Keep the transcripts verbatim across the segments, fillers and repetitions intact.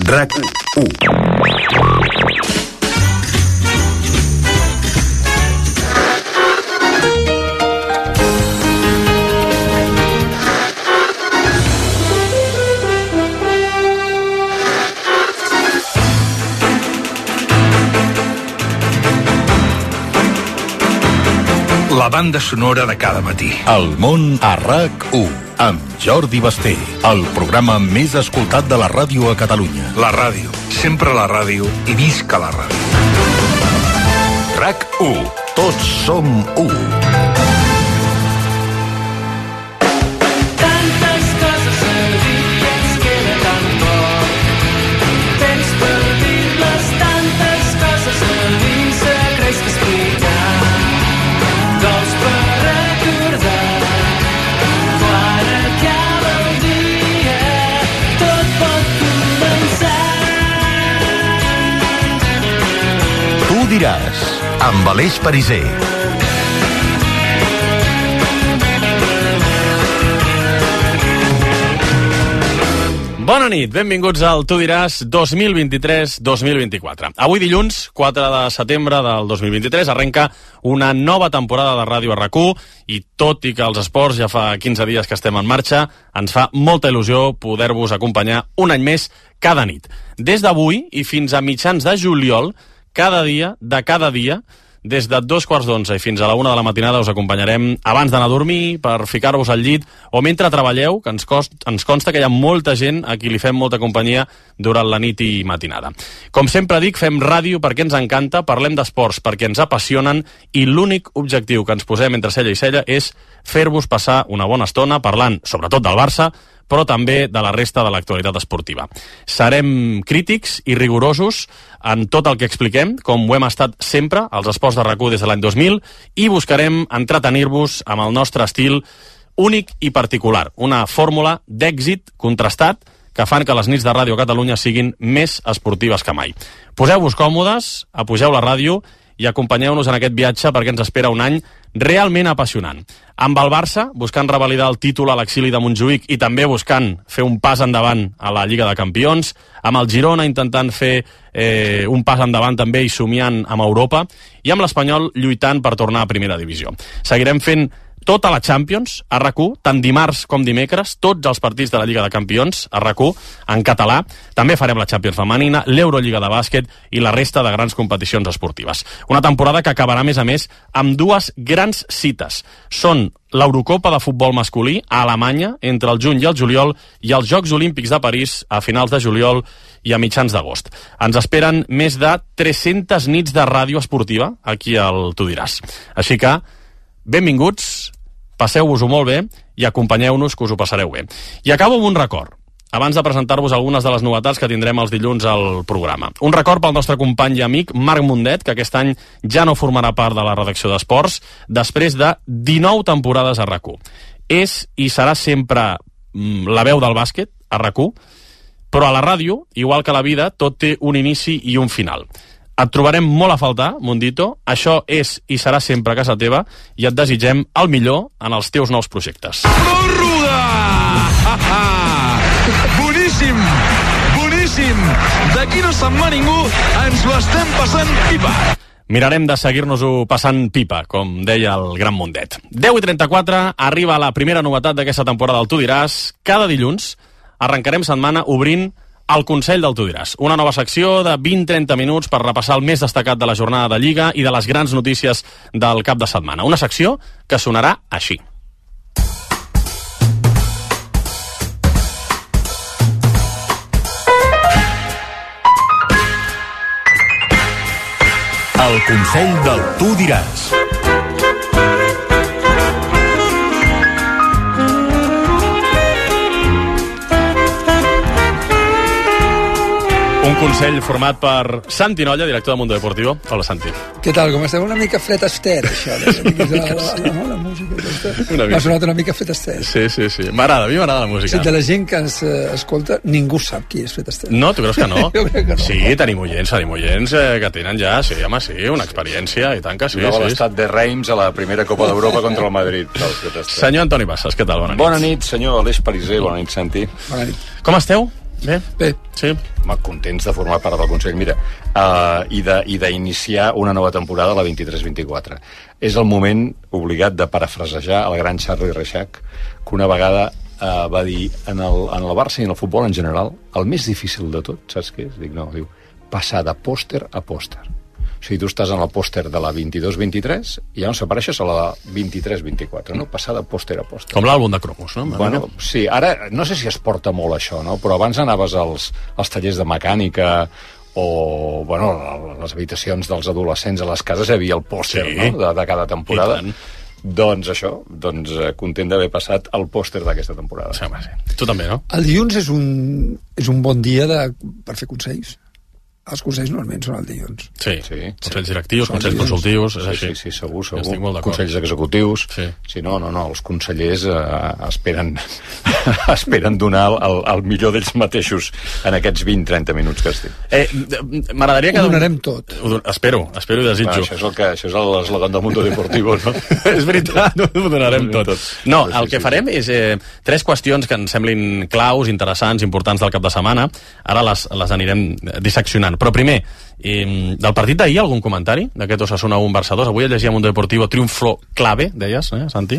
RAC u. La banda sonora de cada matí. El món a RAC u, amb Jordi Basté, el programa més escoltat de la ràdio a Catalunya. La ràdio, sempre la ràdio i visca la ràdio. RAC u, tots som u. Tantes coses a dir i ens queda tan poc temps per dir-les, tantes coses a dir, secrets que explicar. Gols per recordar, quan acaba el dia, tot pot començar. Tu diràs, amb Aleix Pariser. Bona nit, benvinguts al Tu diràs dos mil vint-i-tres dos mil vint-i-quatre. Avui dilluns, quatre de setembre del dos mil vint-i-tres, arrenca una nova temporada de ràdio a RAC u i tot i que els esports ja fa quinze dies que estem en marxa, ens fa molta il·lusió poder-vos acompanyar un any més cada nit. Des d'avui i fins a mitjans de juliol, cada dia, de cada dia, des de dos quarts d'onze i fins a la una de la matinada us acompanyarem abans d'anar a dormir, per ficar-vos al llit o mentre treballeu, que ens, cost, ens consta que hi ha molta gent a qui li fem molta companyia durant la nit i matinada. Com sempre dic, fem ràdio perquè ens encanta, parlem d'esports perquè ens apassionen i l'únic objectiu que ens posem entre cella i cella és fer-vos passar una bona estona parlant sobretot del Barça, però també de la resta de l'actualitat esportiva. Serem crítics i rigorosos en tot el que expliquem, com ho hem estat sempre als esports de RAC u des de l'any dos mil, i buscarem entretenir-vos amb el nostre estil únic i particular, una fórmula d'èxit contrastat que fan que les nits de Ràdio Catalunya siguin més esportives que mai. Poseu-vos còmodes, apugeu la ràdio i acompanyeu-nos en aquest viatge perquè ens espera un any realment apassionant. Amb el Barça, buscant revalidar el títol a l'exili de Montjuïc i també buscant fer un pas endavant a la Lliga de Campions, amb el Girona intentant fer eh, un pas endavant també i somiant amb Europa, i amb l'Espanyol lluitant per tornar a Primera Divisió. Seguirem fent tota la Champions a RAC u, tant dimarts com dimecres, tots els partits de la Lliga de Campions a RAC u, en català. També farem la Champions femenina, l'Eurolliga de bàsquet i la resta de grans competicions esportives. Una temporada que acabarà, a més a més, amb dues grans cites. Són l'Eurocopa de futbol masculí a Alemanya entre el juny i el juliol i els Jocs Olímpics de París a finals de juliol i a mitjans d'agost. Ens esperen més de tres-centes nits de ràdio esportiva aquí al Tu diràs. Així que, benvinguts, passeu-vos-ho molt bé i acompanyeu-nos, que us ho passareu bé. I acabo amb un record, abans de presentar-vos algunes de les novetats que tindrem els dilluns al programa. Un record pel nostre company i amic Marc Mundet, que aquest any ja no formarà part de la redacció d'Esports, després de dinou temporades a RAC u. És i serà sempre la veu del bàsquet a RAC u, però a la ràdio, igual que a la vida, tot té un inici i un final. Et trobarem molt a faltar, Mundito. Això és i serà sempre a casa teva i et desitgem el millor en els teus nous projectes. Pròrroga! Boníssim! Boníssim! D'aquí no se'n va ningú, ens ho estem passant pipa. Mirarem de seguir-nos-ho passant pipa, com deia el gran Mundet. deu i trenta-quatre, arriba la primera novetat d'aquesta temporada del Tu diràs. Cada dilluns arrencarem setmana obrint el Consell del Tu diràs, una nova secció de vint a trenta minuts per repassar el més destacat de la jornada de Lliga i de les grans notícies del cap de setmana. Una secció que sonarà així. El Consell del Tu diràs. Un consell format per Santi Nolla, director de Mundo Deportivo. Hola, Santi. Què tal? Com esteu? Una mica Fred Astaire, això. De la, la, la, la, la música. Una M'ha sonat una mica Fred Astaire. Sí, sí, sí. M'agrada, a mi m'agrada la música. Sí, de la gent que ens eh, escolta, ningú sap qui és Fred Astaire. No, tu creus que no? Jo crec que no. Sí, tenim oients, tenim oients eh, que tenen ja, sí, home, sí, una experiència, i tant que sí. Jugava sí. l'estat de Reims a la primera Copa d'Europa contra el Madrid. Senyor Antoni Bassas, què tal? Bona nit. Bona nit, senyor Aleix Pariser, bona nit, Santi. Bona nit. Com esteu? Bé? Bé. Sí. Home, contents de formar part del Consell. Mira, uh, i de- i d'iniciar una nova temporada, la vint-i-tres vint-i-quatre. És el moment obligat de parafrasejar el gran Charlie Reixac, que una vegada uh, va dir en el, en el Barça i en el futbol en general, el més difícil de tot, saps què és? Dic, no, diu, passar de pòster a pòster. O sigui, tu estàs en el pòster de la vint-i-dos vint-i-tres i llavors apareixes a la vint-i-tres vint-i-quatre, no? Passar de pòster a pòster. Com l'àlbum de cromos, no? Bueno, sí, ara no sé si es porta molt això, no? Però abans anaves als, als tallers de mecànica o, bueno, a les habitacions dels adolescents a les cases hi havia el pòster, Sí. no? De, de cada temporada. I tant. Doncs això, doncs eh, content d'haver passat el pòster d'aquesta temporada. Sí, home, sí. Tu també, no? El dilluns és un, és un bon dia de, per fer consells. Els consells normalment són el dilluns. Sí. Sí. Consells directius, Són consells dilluns. consultius, és Sí, així. sí, sí, segur, segur. Estic molt d'acord. Consells executius. Sí. Sí, no, no, no, els consellers eh, esperen, esperen donar el, el, el millor d'ells mateixos en aquests vint trenta minuts que estic. Eh, M'agradaria que... Ho donarem tot. Ho don- Espero, espero i Bueno, desitjo. això és el que, això és l'eslògan del Mundo Deportivo, no? És veritat, ho donarem tot. No, Sí, el sí, que sí. farem és eh, tres qüestions que ens semblin claus, interessants, importants del cap de setmana. Ara les, les anirem disseccionant. Però primer, eh, del partit d'ahir, algun comentari d'aquest Osasuna un Barça dos? Avui llegia Mundo Deportivo triomfo clave, deies, eh, Santi?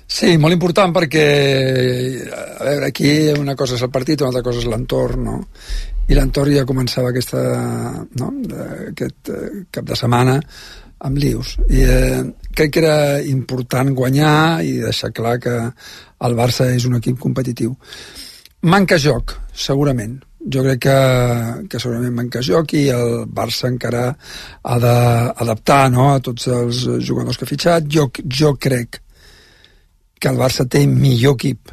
Sí, molt important perquè, a veure, aquí una cosa és el partit, una altra cosa és l'entorn, no? I l'entorn ja començava aquesta, no? aquest eh, cap de setmana amb lius. I eh, crec que era important guanyar i deixar clar que el Barça és un equip competitiu. Manca joc, segurament. Jo crec que, que segurament manca joc i el Barça encara ha d'adaptar, no?, a tots els jugadors que ha fitxat. Jo, jo crec que el Barça té millor equip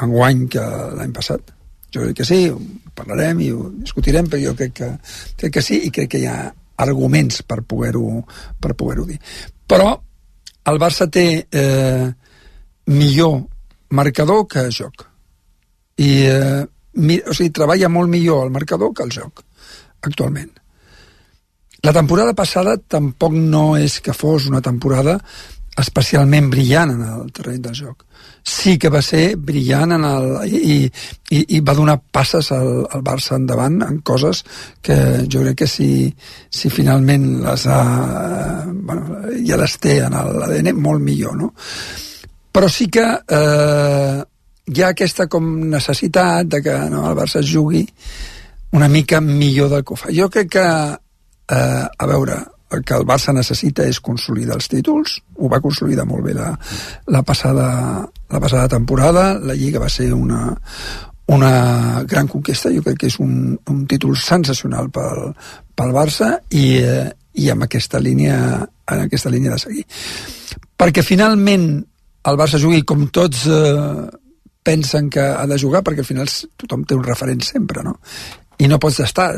enguany que l'any passat. Jo crec que sí, ho parlarem i ho discutirem, però jo crec que, crec que sí i crec que hi ha arguments per poder-ho per poder-ho dir. Però el Barça té eh, millor marcador que joc. I eh, mi, o sigui, treballa molt millor el marcador que el joc, actualment. La temporada passada tampoc no és que fos una temporada especialment brillant en el terreny del joc. Sí que va ser brillant en el, i, i, i va donar passes al, al Barça endavant en coses que jo crec que si, si finalment les ha, bueno, ja les té en l'A D N molt millor, no? Però sí que eh, hi ha aquesta com necessitat de que, no, el Barça jugui una mica millor del que ho fa. Jo crec que, eh, a veure, el que el Barça necessita és consolidar els títols. Ho va consolidar molt bé la, la, passada, la passada temporada. La Lliga va ser una, una gran conquesta. Jo crec que és un, un títol sensacional pel, pel Barça i, eh, i amb aquesta línia, en aquesta línia de seguir. Perquè finalment el Barça jugui com tots eh, pensen que ha de jugar, perquè al final tothom té un referent sempre, no? I no pots estar,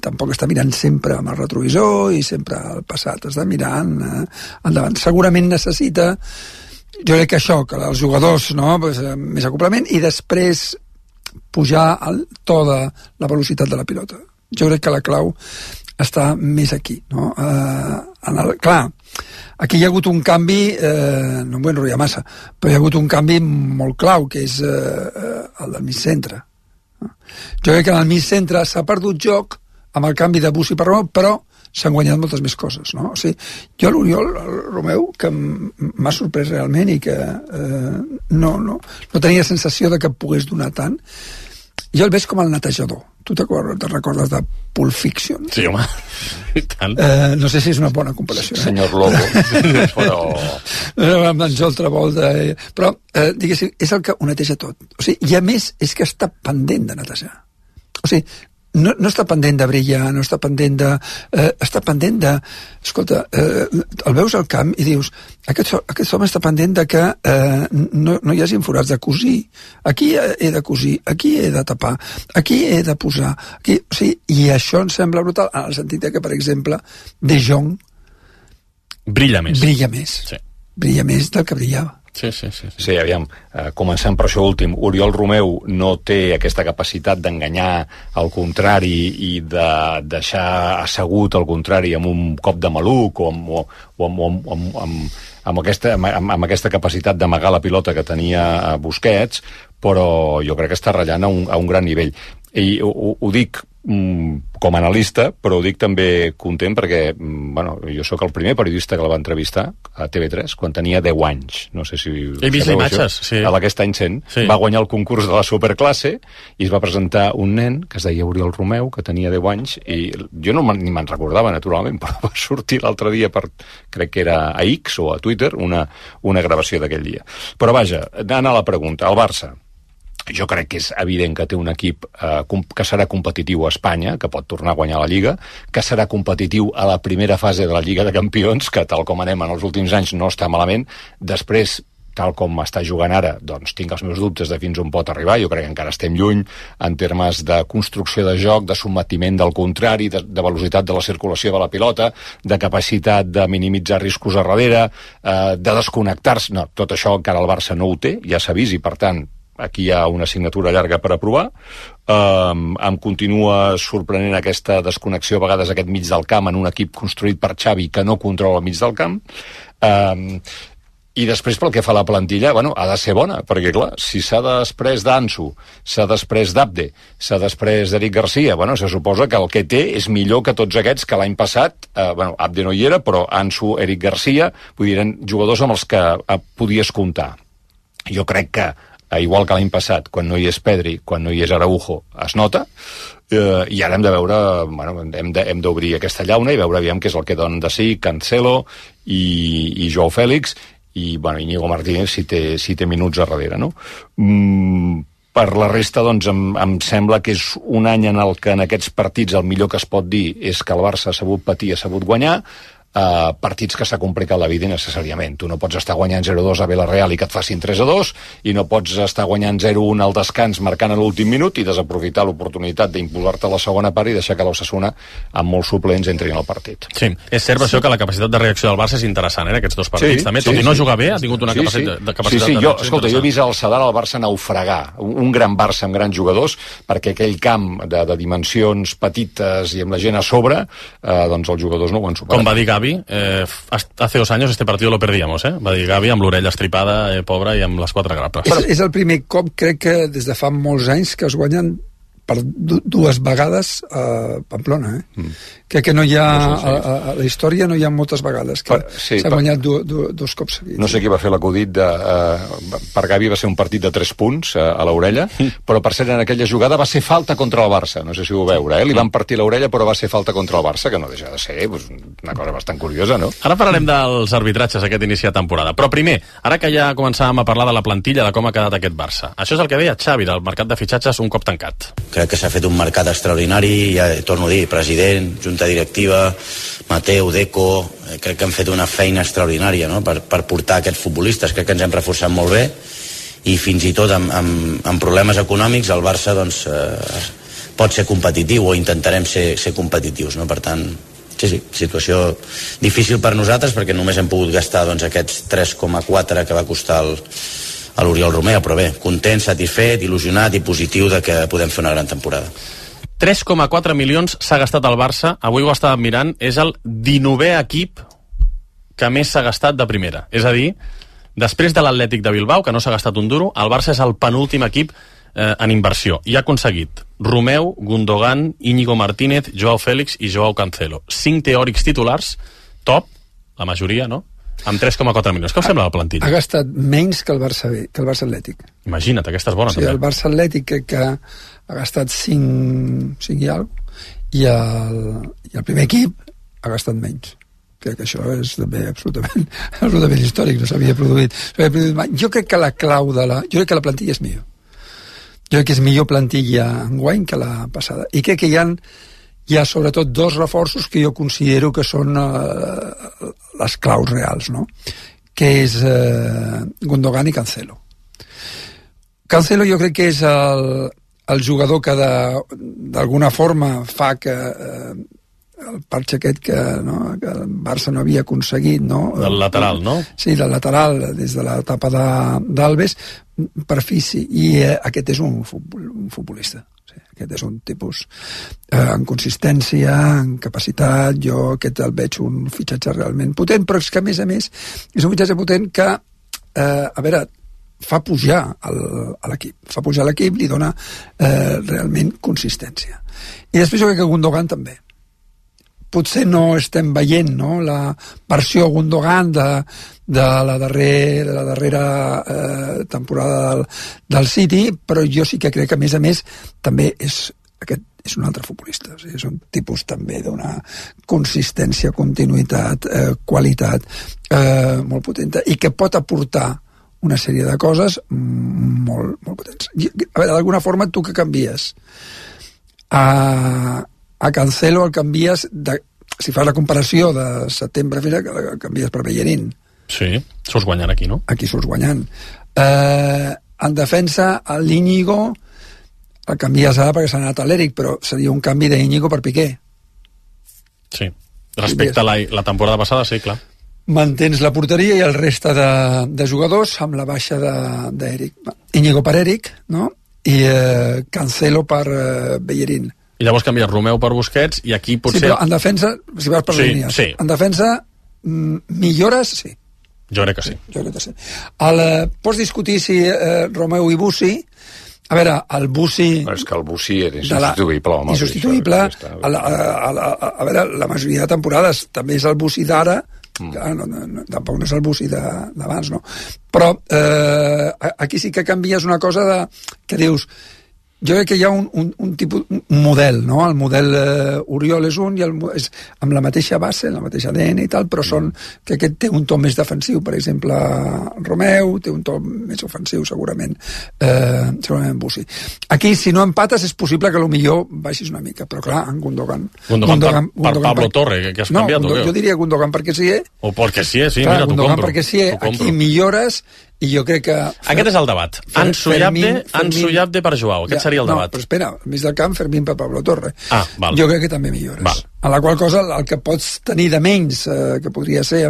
tampoc estar mirant sempre amb el retrovisor i sempre al passat, has de mirar eh, endavant. Segurament necessita, jo crec que això, que els jugadors, no, pues, més acoplament, i després pujar el to de la velocitat de la pilota. Jo crec que la clau està més aquí, no? Eh, en el, clar, aquí hi ha hagut un canvi, eh, no em vull enrotllar massa, però hi ha hagut un canvi molt clau, que és eh, el del mig centre. Jo crec que en el mig centre s'ha perdut joc amb el canvi de Bussi per Romeu, però s'han guanyat moltes més coses, no? O sigui, jo l'Oriol Romeu, que m'ha sorprès realment i que eh, no, no, no tenia sensació de que pogués donar tant, jo el veig com el netejador. Tu te recordes de Pulp Fiction? Sí, home, i tant. Eh, no sé si és una bona comparació. Eh? Senyor Lobo, però... Amb en Joel Travolta, eh? Però, eh, diguéssim, és el que ho neteja tot. O sigui, i a més, és que està pendent de netejar. O sigui, no, no està pendent de brillar, no està pendent de... Eh, està pendent de... Escolta, eh, el veus al camp i dius, aquest, aquest home està pendent de que eh, no, no hi hagi forats de cosir. Aquí he de cosir, aquí he de tapar, aquí he de posar. Aquí, o sigui, i això em sembla brutal, en el sentit que, per exemple, De Jong Brilla més. brilla més. Sí. Brilla més del que brillava. Sí, sí, sí. sí. Sí, aviam, eh, començant per això últim, Oriol Romeu no té aquesta capacitat d'enganyar el contrari i de deixar assegut el contrari amb un cop de maluc o amb, o, o amb, amb, amb, amb, amb, aquesta, amb, amb aquesta capacitat d'amagar la pilota que tenia Busquets, però jo crec que està ratllant a un, a un gran nivell. I ho, ho dic com a analista, però ho dic també content perquè, bueno, jo sóc el primer periodista que la va entrevistar a T V tres quan tenia deu anys. No sé si... He vist imatges, sí. A aquest any cent. Sí. Va guanyar el concurs de la superclasse i es va presentar un nen que es deia Oriol Romeu, que tenia deu anys, i jo no ni me'n recordava, naturalment, però va sortir l'altre dia per, crec que era a X o a Twitter, una, una gravació d'aquell dia. Però vaja, anant a la pregunta, el Barça, jo crec que és evident que té un equip eh, que serà competitiu a Espanya, que pot tornar a guanyar la Lliga, que serà competitiu a la primera fase de la Lliga de Campions, que tal com anem en els últims anys no està malament. Després, tal com està jugant ara, doncs tinc els meus dubtes de fins on pot arribar. Jo crec que encara estem lluny en termes de construcció de joc, de sotmetiment del contrari, de, de velocitat de la circulació de la pilota, de capacitat de minimitzar riscos a darrere, eh, de desconnectar-se. No, tot això encara el Barça no ho té, ja s'ha vist, i per tant aquí hi ha una assignatura llarga per aprovar. Um, em continua sorprenent aquesta desconnexió, a vegades aquest mig del camp, en un equip construït per Xavi que no controla el mig del camp. Um, I després, pel que fa a la plantilla, bueno, ha de ser bona, perquè, clar, si s'ha després d'Ansu, s'ha després d'Abde, s'ha després d'Eric Garcia, bueno, se suposa que el que té és millor que tots aquests que l'any passat, eh, bueno, Abde no hi era, però Ansu, Eric Garcia, vull dir, eren jugadors amb els que eh, podies comptar. Jo crec que igual que l'any passat, quan no hi és Pedri, quan no hi és Araujo, es nota, eh, i ara hem de veure, bueno, hem de, hem d'obrir aquesta llauna i veure aviam què és el que donen de si Cancelo i, i Joao Fèlix, i, bueno, Íñigo Martínez si té, si té minuts a darrere, no? Mm, per la resta, doncs, em, em sembla que és un any en el que en aquests partits el millor que es pot dir és que el Barça ha sabut patir, ha sabut guanyar. Uh, partits que s'ha complicat la vida necessàriament. Tu no pots estar guanyant zero dos a Villarreal i que et facin tres a dos, i no pots estar guanyant zero un al descans marcant a l'últim minut i desaprofitar l'oportunitat d'imposar-te a la segona part i deixar que l'Osasuna amb molts suplents entrin al partit. Sí, és cert això que la capacitat de reacció del Barça és interessant, eh, aquests dos partits, sí, també, tot sí, i no sí. jugar bé, ha tingut una sí, capacitat, sí. de capacitat sí, sí. de Jo, escolta, jo he vist el Sadar al Barça naufragar, un, un gran Barça amb grans jugadors, perquè aquell camp de, de dimensions petites i amb la gent a sobre, eh, doncs els jugadors no ho han superat. Com va dir Gavi, eh, hace dos años este partido lo perdíamos, eh? Va dir Gavi amb l'orella estripada, eh, pobra, i amb les quatre grapes. És, és el primer cop, crec que des de fa molts anys, que es guanyen per dues vegades a Pamplona, eh? Mm. Crec que no hi ha, no sé, sí. a, a la història no hi ha moltes vegades que s'ha sí, guanyat du, du, dos cops seguits. No sé qui va fer l'acudit de... Uh, per Gavi va ser un partit de tres punts uh, a l'orella, mm. però per ser en aquella jugada va ser falta contra el Barça, no sé si ho veure, eh? Li van partir l'orella però va ser falta contra el Barça, que no deixa de ser pues, una cosa bastant curiosa, no? Ara parlarem dels arbitratges aquest inici de temporada, però primer, ara que ja començàvem a parlar de la plantilla, de com ha quedat aquest Barça, això és el que deia Xavi del mercat de fitxatges un cop tancat. Crec que s'ha fet un mercat extraordinari, ja torno a dir, president, junta directiva, Mateu, Deco, eh, crec que han fet una feina extraordinària, no? per, per portar aquests futbolistes, crec que ens hem reforçat molt bé, i fins i tot amb, amb, amb problemes econòmics el Barça doncs, eh, pot ser competitiu, o intentarem ser, ser competitius, no? Per tant, sí, sí, situació difícil per nosaltres perquè només hem pogut gastar doncs, aquests tres coma quatre que va costar el, a l'Oriol Romeu, però bé, content, satisfet, il·lusionat i positiu de que podem fer una gran temporada. tres coma quatre milions s'ha gastat al Barça, avui ho estàvem mirant, és el dinovè equip que més s'ha gastat de primera. És a dir, després de l'Atlètic de Bilbao, que no s'ha gastat un duro, el Barça és el penúltim equip eh, en inversió. I ha aconseguit Romeu, Gundogan, Íñigo Martínez, Joao Fèlix i Joao Cancelo. Cinc teòrics titulars, top, la majoria, no?, amb tres coma quatre milions. Què us sembla la plantilla? Ha gastat menys que el Barça B, que el Barça Atlètic. Imagina't, aquesta és bona, o sigui, també. El Barça Atlètic crec que ha gastat cinc, cinc i alguna cosa, i el, i el primer equip ha gastat menys. Crec que això és també absolutament, absolutament històric, no s'havia produït, s'havia produït mai. Jo crec que la clau de la... Jo crec que la plantilla és millor. Jo crec que és millor plantilla enguany que la passada. I crec que hi ha, hi ha sobretot dos reforços que jo considero que són eh, les claus reals, no? Que és eh, Gundogan i Cancelo. Cancelo jo crec que és el, el jugador que d'alguna forma fa que eh, el parxe aquest que, no, que el Barça no havia aconseguit, no? Del lateral, no? Sí, del lateral, des de l'etapa d'Alves, per fi sí. I eh, aquest és un, futbol, un futbolista. Sí, aquest és un tipus eh, en consistència, en capacitat. Jo aquest el veig un fitxatge realment potent, però és que a més a més és un fitxatge potent que, eh, a veure, fa pujar el, a l'equip, fa pujar l'equip, li dona eh, realment consistència. I després jo crec que Gundogan també. Potser no estem veient, no?, la versió Gundogan de, de la, darrer, de la darrera eh, temporada del, del City, però jo sí que crec que, a més a més, també és, aquest és un altre futbolista. O sigui, és un tipus també d'una consistència, continuïtat, eh, qualitat eh, molt potenta i que pot aportar una sèrie de coses molt, molt potents. I, a veure, d'alguna forma, tu que canvies a... a Cancelo el canvies, de, si fas la comparació de setembre fins a el canvies per Bellerín. Sí, surts guanyant aquí, no? Aquí surts guanyant. Eh, en defensa, l'Íñigo el canvies ara perquè s'ha anat a l'Eric, però seria un canvi d'Íñigo per Piqué. Sí, respecte a la, la temporada passada, sí, clar. Mantens la porteria i el reste de, de jugadors amb la baixa d'Eric. Íñigo per Eric, no? I eh, Cancelo per eh, Bellerín. I llavors canvies Romeu per Busquets i aquí potser... Sí, però en defensa, si vas per sí, línies, sí. en defensa mm, millores, sí. Jo crec que sí. Jo crec que sí. El, eh, pots discutir si eh, Romeu i Bussi... A veure, el Bussi... Però és que el Bussi era insubstituïble, home. Insubstituïble. A, la, a, la, a veure, la majoria de temporades també és el Bussi d'ara, mm. clar, no, no, no, tampoc no és el Bussi d'abans, no? Però eh, aquí sí que canvies una cosa de, que dius... Jo crec que hi ha un, un, un tipus, un model, no? El model eh, Oriol és un i el, és amb la mateixa base, la mateixa A D N i tal, però són que aquest té un to més defensiu, per exemple, Romeu, té un to més ofensiu, segurament, eh, segurament Bussi. Aquí, si no empates, és possible que potser baixis una mica, però clar, en Gundogan... Gundogan, Gundogan, per, per Pablo per... Torre, que, que has no, canviat, Gundogan, o què? Jo diria Gundogan perquè sí, eh? O perquè sí, sí, clar, mira, t'ho compro. compro. Perquè sí, eh? Aquí millores... I jo crec que... Aquest és el debat. Ansu i Abde, Ansu i Abde per Joao. Aquest ja, seria el debat. No, però espera, al mig del camp, Fermín per Pablo Torre. Ah, val. Jo crec que també millores. Val. A la qual cosa, el que pots tenir de menys, eh, que podria ser,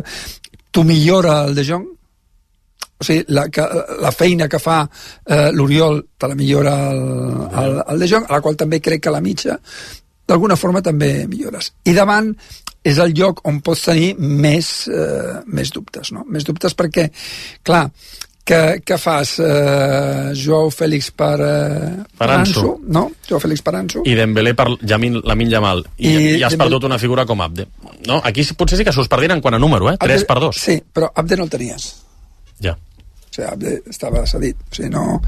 tu millora el De Jong, o sigui, la, que, la feina que fa eh, l'Oriol te la millora el, el, el De Jong, a la qual també crec que la mitja, d'alguna forma també millores. I davant és el lloc on pots tenir més, eh, més dubtes, no? Més dubtes perquè, clar, que, que fas eh, Joao Fèlix per, eh, per Ansu, no? Joao Fèlix per Ansu. I Dembélé per Yamin, Lamine Yamal. I, I, i has Dembélé... perdut una figura com Abde. No? Aquí potser sí que s'us perdien en quant a número, eh? tres per dos. Sí, però Abde no el tenies. Ja. O sigui, Abde estava cedit. O sigui, no,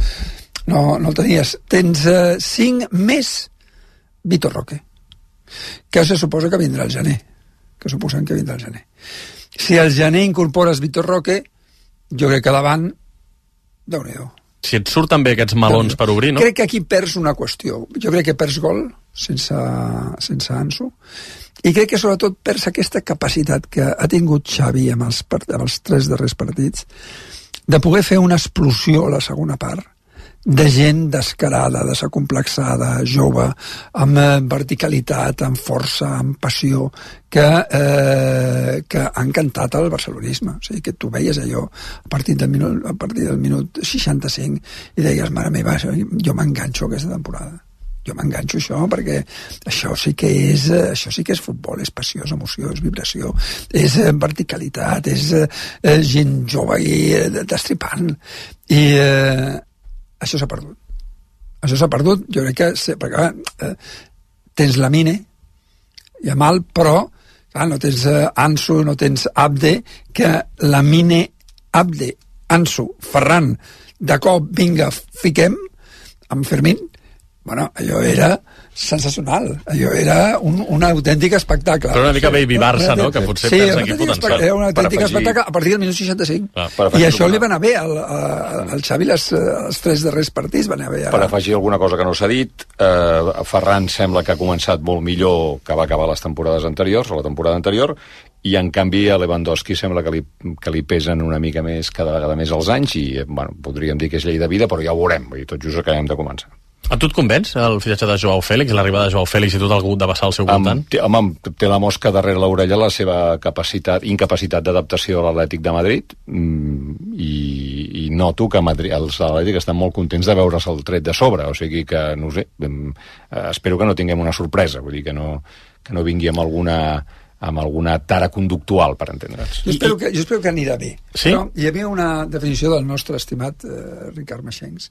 no, no el tenies. Tens eh, cinc més Vitor Roque, que se suposa que vindrà al gener. que suposen que vindrà al gener. Si al gener incorpores Vitor Roque, jo crec que davant, Déu-n'hi-do. Si et surten bé aquests melons per obrir, no? Crec que aquí perds una qüestió. Jo crec que perds gol sense, sense Ansu, i crec que sobretot perds aquesta capacitat que ha tingut Xavi amb els, amb els tres darrers partits de poder fer una explosió a la segona part, de gent descarada, desacomplexada, jove, amb eh, verticalitat, amb força, amb passió, que, eh, que ha encantat el barcelonisme. O sigui, que tu veies allò a partir del minut, a partir del minut seixanta-cinc i deies, mare meva, jo m'enganxo aquesta temporada. Jo m'enganxo això, perquè això sí que és això sí que és futbol, és passió, és emoció, és vibració, és verticalitat, és eh, gent jove i eh, destripant. I eh, això s'ha perdut. Això s'ha perdut, jo crec que... Perquè, eh, tens Lamine, Yamal, però clar, no tens eh, Ansu, no tens Abde, que Lamine, Abde, Ansu, Ferran, de cop, vinga, fiquem, amb Fermín, bueno, allò era sensacional, allò era un, un autèntic espectacle. Però una mica Baby Barça, no?, que potser sí, perds aquí potencial. Era un autèntic espectacle a partir del minut seixanta-cinc. Ah, I això li va anar bé al, al Xavi les, els tres darrers partits van anar bé. Per afegir alguna cosa que no s'ha dit, eh, Ferran sembla que ha començat molt millor que va acabar les temporades anteriors, o la temporada anterior, i en canvi a Lewandowski sembla que li, que li pesen una mica més cada vegada més els anys, i bueno, podríem dir que és llei de vida, però ja ho veurem, i tot just acabem de començar. A tu et convenç el fitxatge de Joao Fèlix, l'arribada de Joao Fèlix i tot el gut de vessar al seu voltant? Té, home, té la mosca darrere l'orella la seva capacitat, incapacitat d'adaptació a l'Atlètic de Madrid, i, i noto que Madrid, els de l'Atlètic estan molt contents de veure's el tret de sobre, o sigui que, no sé, espero que no tinguem una sorpresa, vull dir que no, que no vingui amb alguna amb alguna tara conductual, per entendre'ns. Jo espero, que, jo espero que anirà bé. Sí? Però hi havia una definició del nostre estimat eh, Ricard Maxencs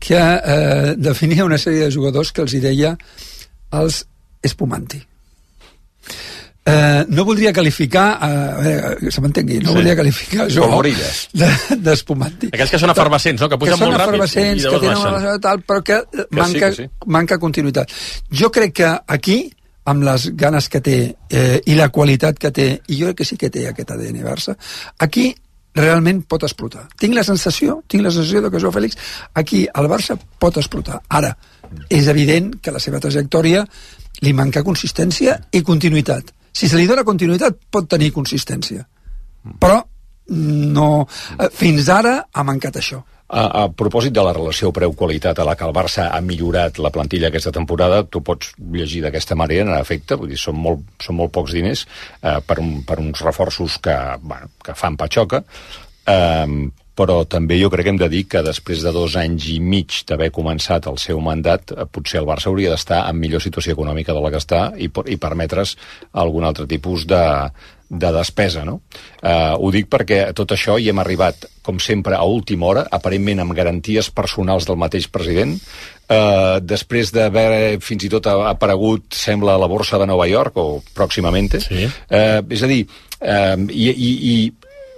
que eh, definia una sèrie de jugadors que els hi deia els espumanti. Eh, no voldria qualificar, eh, a veure, se m'entengui, no sí. voldria qualificar jo d'espumanti. Aquells que són efervescents, no? Que pugen molt ràpid i que tenen una tal, però que, que manca, sí, que sí. manca continuïtat. Jo crec que aquí, amb les ganes que té eh, i la qualitat que té, i jo crec que sí que té aquest A D N Barça, aquí realment pot explotar. Tinc la sensació, tinc la sensació de que Joao Fèlix aquí el Barça pot explotar. Ara, és evident que la seva trajectòria li manca consistència i continuïtat. Si se li dona continuïtat, pot tenir consistència. Però no, fins ara ha mancat això. A, a propòsit de la relació preu-qualitat a la que el Barça ha millorat la plantilla aquesta temporada, tu pots llegir d'aquesta manera, en efecte, vull dir, són molt, són molt pocs diners eh, per, un, per uns reforços que, bueno, que fan patxoca, eh, però també jo crec que hem de dir que després de dos anys i mig d'haver començat el seu mandat, potser el Barça hauria d'estar en millor situació econòmica de la que està i, i permetre's algun altre tipus de, de despesa, no? Eh, ho dic perquè tot això hi hem arribat, com sempre, a última hora, aparentment amb garanties personals del mateix president, eh, després d'haver fins i tot aparegut, sembla, a la borsa de Nova York, o pròximament, sí. eh, és a dir, eh, i, i, i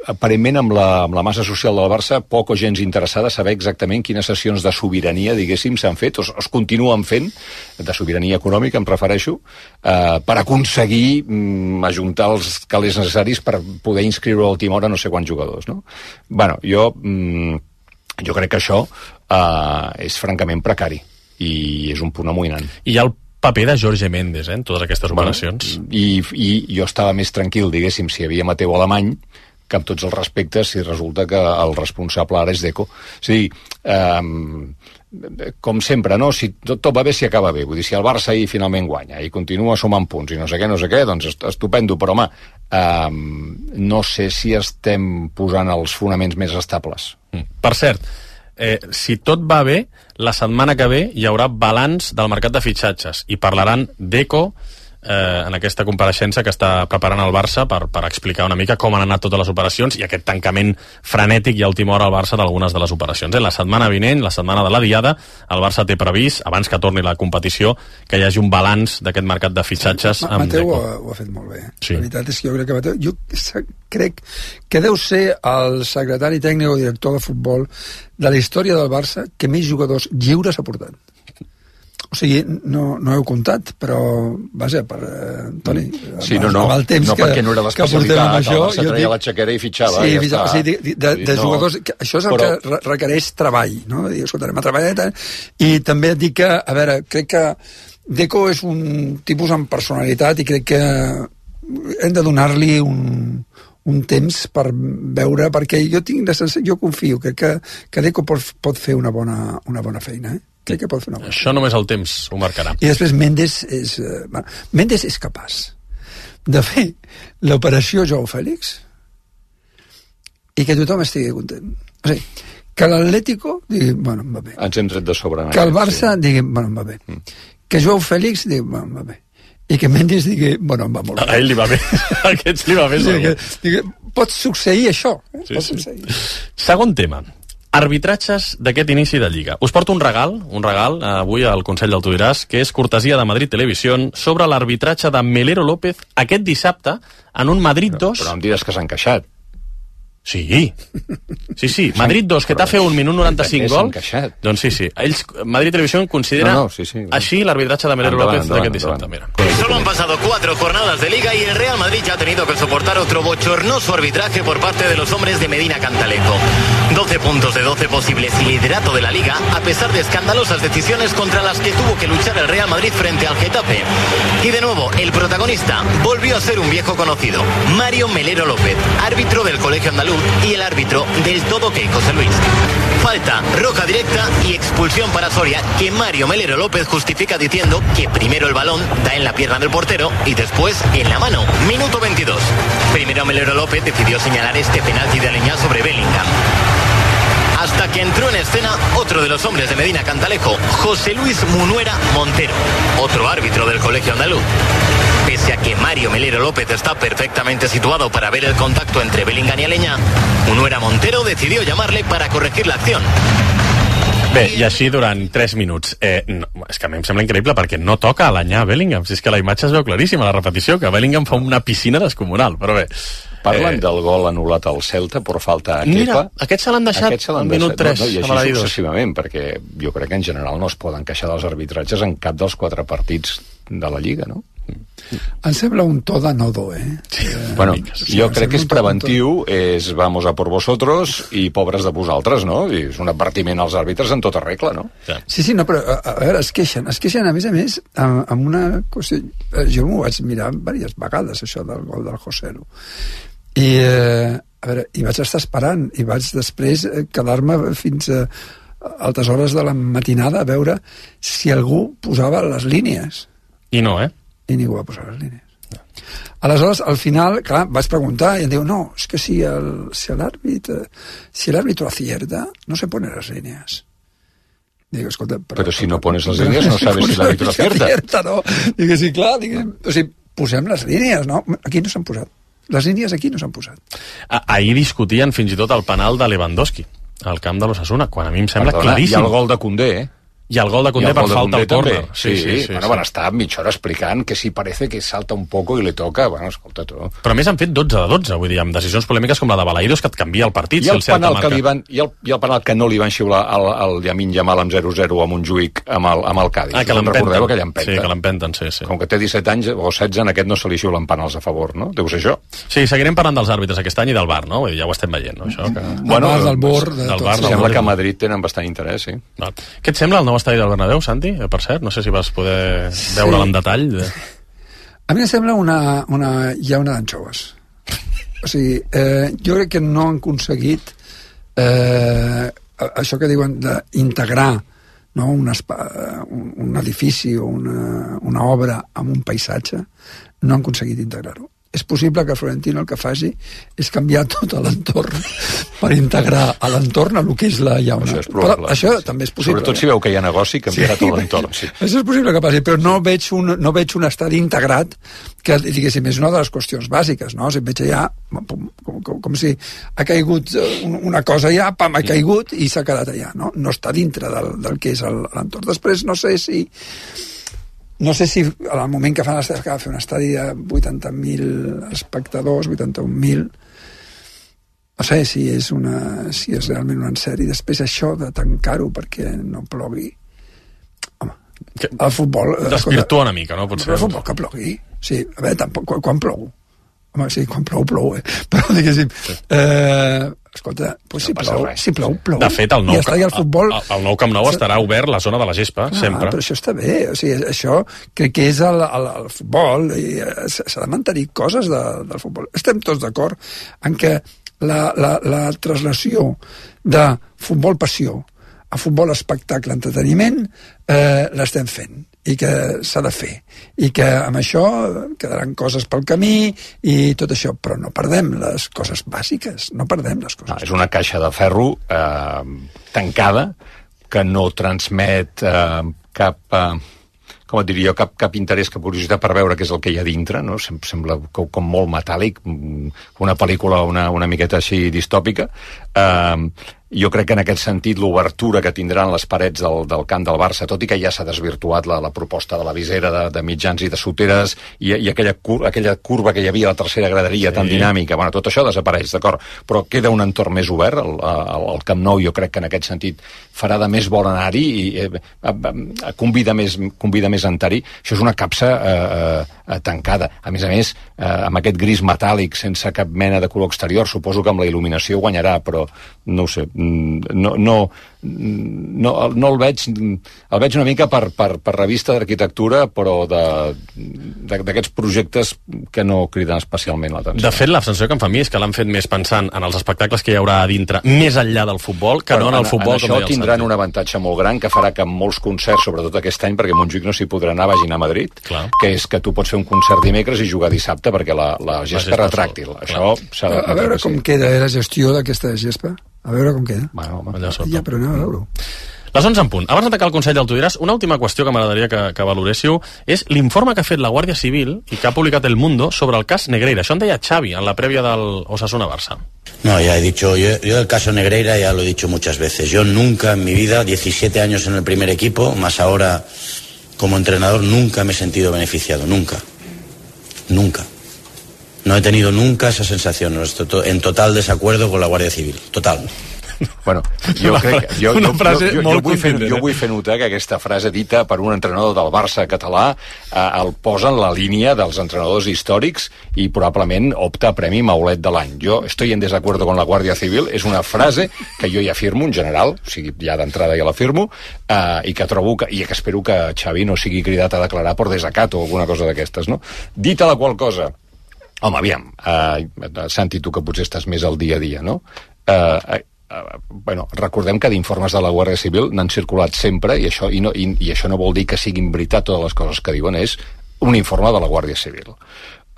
aparentment amb la, amb la massa social del Barça poc o gens interessada a saber exactament quines sessions de sobirania, diguéssim, s'han fet o es continuen fent, de sobirania econòmica em refereixo, eh, per aconseguir mm, ajuntar els calés necessaris per poder inscriure a última hora no sé quants jugadors, no? Bueno, jo, mm, jo crec que això eh, és francament precari i és un punt amoïnant. I hi ha el paper de Jorge Méndez, eh, en totes aquestes operacions. Bueno, i, i jo estava més tranquil, diguéssim, si hi havia Mateu Alemany, que amb tots els respectes, si resulta que el responsable ara és Deco. És a dir, eh, com sempre, no? Si tot, tot va bé, si acaba bé. Vull dir, si el Barça ahir finalment guanya i continua sumant punts i no sé què, no sé què, doncs estupendo, però home, eh, no sé si estem posant els fonaments més estables. Mm. Per cert, eh, si tot va bé, la setmana que ve hi haurà balanç del mercat de fitxatges i parlaran Deco eh, en aquesta compareixença que està preparant el Barça per, per explicar una mica com han anat totes les operacions i aquest tancament frenètic i a última hora al Barça d'algunes de les operacions. Eh? La setmana vinent, la setmana de la Diada, el Barça té previst, abans que torni la competició, que hi hagi un balanç d'aquest mercat de fitxatges. Ma amb Mateu Deco. ho, ho ha fet molt bé. Sí. La veritat és que jo crec que Mateu... Jo crec que deu ser el secretari tècnic o director de futbol de la història del Barça que més jugadors lliures ha portat. O sigui, no, no heu comptat, però, vaja, per eh, Toni, sí, no, no, amb el temps no que, perquè no era l'especialitat, això, el Barça treia dic, la xaquera i fitxava. Sí, ja fitxava, està. sí, de, de, de no, jugadors, que això és el però... que requereix treball, no? Dir, escolta, anem a treballar, i també et dic que, a veure, crec que Deco és un tipus amb personalitat i crec que hem de donar-li un, un temps per veure, perquè jo tinc la sensació, jo confio que, que, que Deco pot, pot fer una bona, una bona feina, eh? Crec que pot fer una bona Això feina. només el temps ho marcarà. I després Méndez és, eh, bueno, Méndez és capaç de fer l'operació Joao Fèlix i que tothom estigui content. O sigui, que l'Atlético digui, bueno, em va bé. Ens hem tret de sobre. Que el Barça sí. digui, bueno, em va bé. Mm. Que Joao Fèlix digui, bueno, em va bé. I que Méndez digui, bueno, em va molt bé. A ell li va bé. A aquests li va bé. Sí, que, digui, pot succeir això. Eh? Sí, pot sí. succeir. Segon tema. Arbitratges d'aquest inici de Lliga. Us porto un regal, un regal avui al Consell del Tu diràs, que és cortesia de Madrid Televisión sobre l'arbitratge de Melero López aquest dissabte en un Madrid dos. Però, però em diràs que s'han queixat. Sí, sí, sí. Madrid dos, que t'ha fet un minut noranta-cinc gol. Doncs sí, sí. Ells, Madrid Televisión considera no, no, sí, sí, així l'arbitratge de Melero endavant, López d'aquest dissabte. Mira. Solo han pasado cuatro jornadas de Liga y el Real Madrid ya ha tenido que soportar otro bochornoso arbitraje por parte de los hombres de Medina Cantalejo. doce puntos de doce posibles y liderato de la Liga, a pesar de escandalosas decisiones contra las que tuvo que luchar el Real Madrid frente al Getafe. Y de nuevo, el protagonista volvió a ser un viejo conocido, Mario Melero López, árbitro del Colegio Andaluz y el árbitro del todo que José Luis. Falta, roja directa y expulsión para Soria, que Mario Melero López justifica diciendo que primero el balón da en la pierna del portero y después en la mano. Minuto veintidós. Primero Melero López decidió señalar este penalti de Aleñá sobre Bellingham. hasta que entró en escena otro de los hombres de Medina Cantalejo, José Luis Munuera Montero, otro árbitro del colegio andaluz. Pese a que Mario Melero López está perfectamente situado para ver el contacto entre Bellingham y Aleñà, Munuera Montero decidió llamarle para corregir la acción. Bé, i així durant tres minuts. Eh, no, és que a mi em sembla increïble perquè no toca Aleñà a Bellingham. Si és que la imatge es veu claríssima, la repetició, que Bellingham fa una piscina descomunal, però bé. Parlen eh... del gol anul·lat al Celta per falta a Kepa. Mira, aquest se l'han deixat al minut tres. No, no, I així successivament, perquè jo crec que en general no es poden queixar dels arbitratges en cap dels quatre partits de la Lliga, no? Em sembla un to de nodo, eh? Sí. Bueno, jo crec que és preventiu, és vamos a por vosotros i pobres de vosaltres, no? I és un advertiment als àrbitres en tota regla, no? Sí, sí, no, però a, a veure, es queixen, es queixen a més a més amb, amb una qüestió... Jo m'ho vaig mirar diverses vegades, això del gol del Joselu. I, eh, a veure, i vaig estar esperant, i vaig després quedar-me fins a altes hores de la matinada a veure si algú posava les línies. I no, eh? I ningú va posar les línies. No. Aleshores, al final, clar, vaig preguntar i em diu, no, és que si el, si l'àrbit si l'àrbitro acierta, no se pone las líneas. Dic, escolta, però, però si no pones les línies no sabes si l'àrbitro acierta. acierta no? Dic, sí, clar, dic, o sigui, posem les línies, no? Aquí no s'han posat. Les línies aquí no s'han posat. Ahir discutien fins i tot el penal de Lewandowski al camp de l'Osasuna, quan a mi em sembla Perdona, claríssim. I el gol de Koundé, eh? I el gol de Koundé per falta al córner. Sí, sí, sí, sí, bueno, sí. Van estar mitja hora explicant que si parece que salta un poco i le toca, bueno, escolta tu. Però a més han fet dotze de dotze, vull dir, amb decisions polèmiques com la de Balaïdos, que et canvia el partit. I el, si el penal que li van, i, el, I el penal que no li van xiular al, al Lamine Yamal amb zero zero a Montjuïc amb el, amb el Cádiz. Ah, que l'empenten. Recordeu que l'empenten. Sí, que l'empenten, sí, sí. Com que té disset anys o setze, en aquest no se li xiulen penals a favor, no? Deu ser això. Sí, seguirem parlant dels àrbitres aquest any i del V A R, no? Vull dir, ja ho estem veient, no? Això que... Bueno, del bord, de del tot. V A R, sembla que a Madrid tenen bastant interès, sí. No. Què et sembla el nou estadi del Bernabéu, Sant? Per cert, no sé si vas poder veure-la en detall. De... A mi em sembla una, una llauna d'anxoves. O sigui, eh, jo crec que no han aconseguit eh, això que diuen d'integrar, no, un, un, un edifici o una, una obra amb un paisatge, no han aconseguit integrar-ho. És possible que Florentino el que faci és canviar tot l'entorn per integrar a l'entorn a lo que és la llauna. Això és probable. Però això també és possible. Sobretot si veu que hi ha negoci, canviarà sí, tot l'entorn. Sí. Això és possible que passi, però no veig un, no veig un estadi integrat que, diguéssim, és una de les qüestions bàsiques, no? Si veig allà, com, com, com si ha caigut una cosa allà, pam, ha caigut i s'ha quedat allà, no? No està dintre del, del que és l'entorn. Després no sé si No sé si al moment que fan l'estadi, que va fer un estadi de vuitanta mil espectadors, vuitanta-un mil, no sé si és, una, si és realment un encert. I després això de tancar-ho perquè no plogui. Home, que el futbol... Desvirtua una mica, no? Potser. El futbol que plogui. Sí, a veure, tampoc, quan, quan plou? Home, sí, quan plou, plou, eh? Però, diguéssim... Eh, escolta, pues si, no plou, si plou, plou. De fet, el nou, ja el, futbol... el, el nou Camp Nou estarà obert la zona de la gespa, ah, sempre. Però això està bé, o sigui, això crec que és el, el, el futbol, i s'ha de mantenir coses de, del futbol. Estem tots d'acord en que la, la, la traslació de futbol passió a futbol espectacle, entreteniment, eh, l'estem fent i que s'ha de fer i que amb això quedaran coses pel camí i tot això, però no perdem les coses bàsiques, no perdem les coses. No, és una caixa de ferro eh, tancada que no transmet eh, cap... Eh, com et diria jo, cap, cap interès, cap curiositat per veure què és el que hi ha dintre, no? Sem sembla com, com molt metàl·lic, una pel·lícula una, una miqueta així distòpica. Eh, jo crec que en aquest sentit l'obertura que tindran les parets del, del camp del Barça, tot i que ja s'ha desvirtuat la, la proposta de la visera de, de mitjans i de soteres i, i aquella, cur aquella curva que hi havia a la tercera graderia sí. tan dinàmica, bueno, tot això desapareix, d'acord, però queda un entorn més obert, el, el, el Camp Nou jo crec que en aquest sentit farà de més bon anar-hi i eh, convida més, convida més a entrar-hi. Això és una capsa eh, eh, tancada, a més a més eh, amb aquest gris metàl·lic sense cap mena de color exterior, suposo que amb la il·luminació guanyarà, però no ho sé, no, no, no, no el veig el veig una mica per, per, per revista d'arquitectura, però d'aquests projectes que no criden especialment l'atenció. De fet, la sensació que em fa a mi és que l'han fet més pensant en els espectacles que hi haurà a dintre, més enllà del futbol, que però no en el futbol. En, en això tindran un avantatge molt gran que farà que en molts concerts, sobretot aquest any, perquè Montjuïc no s'hi podrà anar, vagin a Madrid, clar. Que és que tu pots fer un concert dimecres i jugar dissabte perquè la, la gespa és retràctil. Això a, a veure com queda la gestió d'aquesta gespa A veure com queda. Bueno, home, allà sota. Ja, però anem a veure-ho. Les onze en punt. Abans d'atacar el Consell del Tu diràs, una última qüestió que m'agradaria que, que valoréssiu és l'informe que ha fet la Guàrdia Civil i que ha publicat El Mundo sobre el cas Negreira. Això en deia Xavi en la prèvia del Osasuna-Barça. No, ya he dicho, yo, yo del caso Negreira ya lo he dicho muchas veces. Yo nunca en mi vida, diecisiete años en el primer equipo, más ahora como entrenador, nunca me he sentido beneficiado, nunca. Nunca. No he tenido nunca esa sensación, en total desacuerdo con la Guàrdia Civil, total. Bueno, jo crec que... Jo, una jo, frase jo, jo, molt jo, vull fer, contundent, jo vull fer notar que aquesta frase dita per un entrenador del Barça català eh, el posa en la línia dels entrenadors històrics i probablement opta a Premi Maulet de l'any. Jo estoy en desacuerdo con la Guàrdia Civil és una frase que jo ja firmo en general, o sigui, ja d'entrada ja la firmo, eh, i que trobo que, i que espero que Xavi no sigui cridat a declarar per desacat o alguna cosa d'aquestes, no? Dita la qual cosa, home, aviam, eh, Santi, tu que potser estàs més al dia a dia, no? Eh, Uh, bueno, recordem que d'informes de la Guàrdia Civil n'han circulat sempre i això, i, no, i, i això no vol dir que siguin veritat totes les coses que diuen, és un informe de la Guàrdia Civil.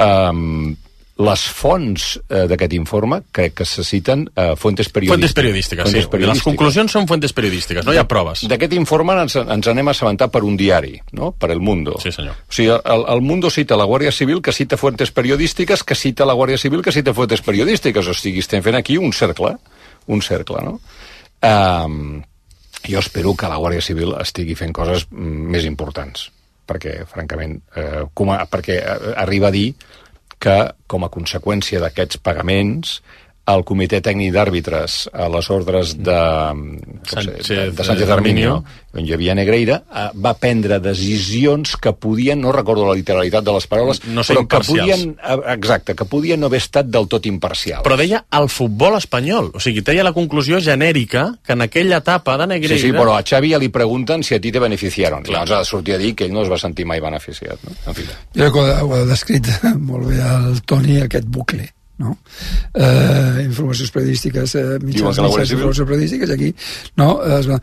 Um, les fonts uh, d'aquest informe crec que se citen uh, fuentes periodístiques. Fuentes periodístiques, fuentes sí. periodístiques. Les conclusions són fuentes periodístiques, no hi ha proves. D'aquest informe ens, ens anem a assabentar per un diari, no? Per El Mundo. Sí, senyor. O sigui, el, el Mundo cita la Guàrdia Civil, que cita fuentes periodístiques, que cita la Guàrdia Civil, que cita fuentes periodístiques. O sigui, estem fent aquí un cercle, un cercle, no? Um, jo espero que la Guàrdia Civil estigui fent coses més importants, perquè, francament, eh, com a, perquè arriba a dir que, com a conseqüència d'aquests pagaments, el Comitè Tècnic d'Àrbitres a les ordres de Sánchez, de, de Sánchez Arminio, on hi havia Negreira, va prendre decisions que podien, no recordo la literalitat de les paraules, no però que podien, exacte, que podien no haver estat del tot imparcials. Però deia el futbol espanyol, o sigui, treia la conclusió genèrica que en aquella etapa de Negreira... Sí, sí, però a Xavi ja li pregunten si a ti te beneficiaron. Clar. Llavors ha de sortir a dir que ell no es va sentir mai beneficiat. No? En fi. Jo ho ha descrit molt bé el Toni, aquest bucle. No? Eh, informacions periodístiques, eh, mitjans, mitjans informacions periodístiques, aquí, no? Eh,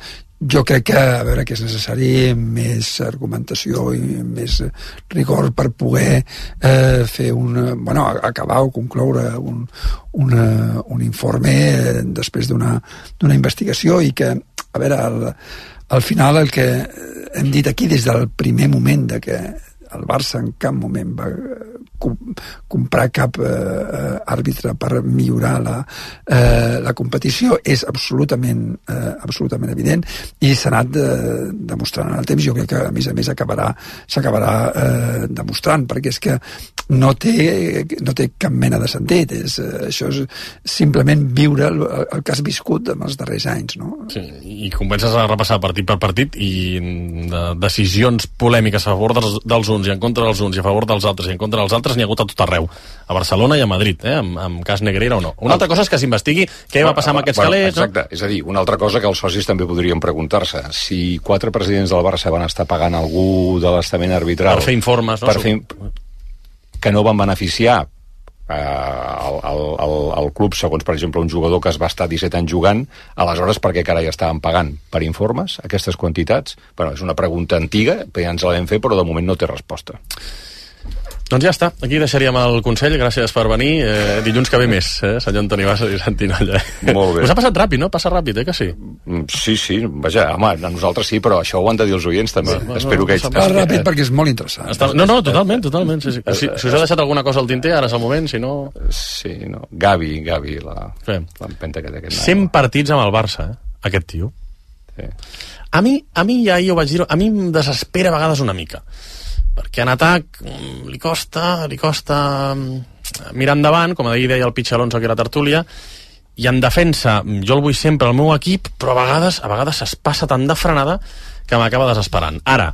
jo crec que, a veure, que és necessari més argumentació i més rigor per poder eh, fer un, bueno, acabar o concloure un, una, un informe després d'una d'una investigació i que, a veure, al, al final el que hem dit aquí des del primer moment de que el Barça en cap moment va comprar cap eh, àrbitre per millorar la, eh, la competició és absolutament, eh, absolutament evident i s'ha anat de, demostrant en el temps. Jo crec que a més a més acabarà s'acabarà eh, demostrant, perquè és que no té, no té cap mena de sentit. És, eh, això és simplement viure el, el que has viscut en els darrers anys, no? Sí, i comences a repassar partit per partit i de decisions polèmiques a favor dels, dels uns i en contra dels uns i a favor dels altres i en contra dels altres n'hi ha hagut a tot arreu, a Barcelona i a Madrid, eh? amb, amb cas Negreira o no. Una altra cosa és que s'investigui què va passar amb aquests bueno, calés. Exacte, no? És a dir, una altra cosa que els socis també podrien preguntar-se, si quatre presidents del Barça van estar pagant algú de l'estament arbitral... Per fer informes, no? Per fer, que no van beneficiar eh, el, el, el, el club, segons, per exemple, un jugador que es va estar disset anys jugant, aleshores per què carai estaven pagant per informes aquestes quantitats? Bueno, és una pregunta antiga, ja ens la vam fer, però de moment no té resposta. Doncs ja està, aquí deixaríem el Consell, gràcies per venir, eh, dilluns que ve més, eh, senyor Antoni Bassa i Santi Nolla. Molt bé. Us ha passat ràpid, no? Passa ràpid, eh, que sí? Sí, sí, vaja, home, a nosaltres sí, però això ho han de dir els oients també. Sí, no, Espero no, que... Va ràpid perquè és molt interessant. Està... No, no, totalment, totalment. Sí, sí. Si, si us ha deixat alguna cosa al tinter, ara és el moment, si no... Sí, no. Gavi, Gavi, l'empenta que té aquest... cent partits amb el Barça, eh, aquest tio. Sí. A mi, a mi ja jo vaig dir-ho, a mi em desespera a vegades una mica. Perquè en atac li costa, li costa mirar endavant, com ahir deia el Pitx Alonso, que era tertúlia, i en defensa jo el vull sempre al meu equip, però a vegades a vegades es passa tan de frenada que m'acaba desesperant. Ara,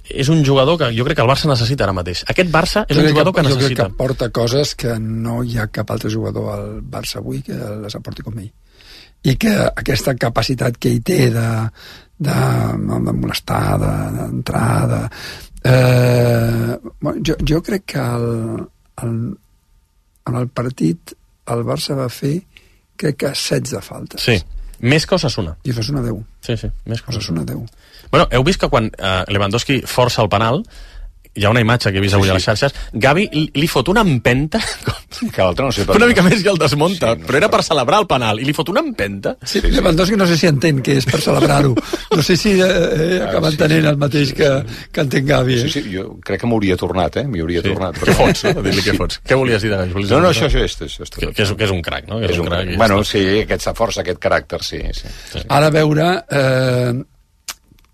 és un jugador que jo crec que el Barça necessita ara mateix. Aquest Barça és un jugador que, que necessita. Jo crec que aporta coses que no hi ha cap altre jugador al Barça avui que les aporti com ell. I que aquesta capacitat que ell té de, de, de molestar, d'entrar, de... Eh, bueno, jo, jo crec que el, el, en el partit el Barça va fer crec que setze faltes. Sí, més que Osasuna. I Osasuna deu. Sí, sí, més que Osasuna deu. Bueno, heu vist que quan eh, Lewandowski força el penal hi ha una imatge que he vist avui sí, sí. a les xarxes, Gavi li, li fot una empenta que l'altre no sé per una mica més i el desmunta, sí, no però era per celebrar el penal i li fot una empenta. Sí, sí, Lewandowski no sé si entén que és per celebrar-ho, no sé si eh, acaba entenent sí, sí. el mateix que, que entén Gavi. Eh? Sí, sí, jo crec que m'hauria tornat, eh? M'hi hauria sí. tornat. Però... Què fots? No? Dir-li què fots? Què volies dir de Gavi? No, no, això, això és... és, que, que, és que és un crac, no? Que és un, un crac. Bueno, sí, aquesta força, aquest caràcter, sí. sí. sí. Ara veure eh,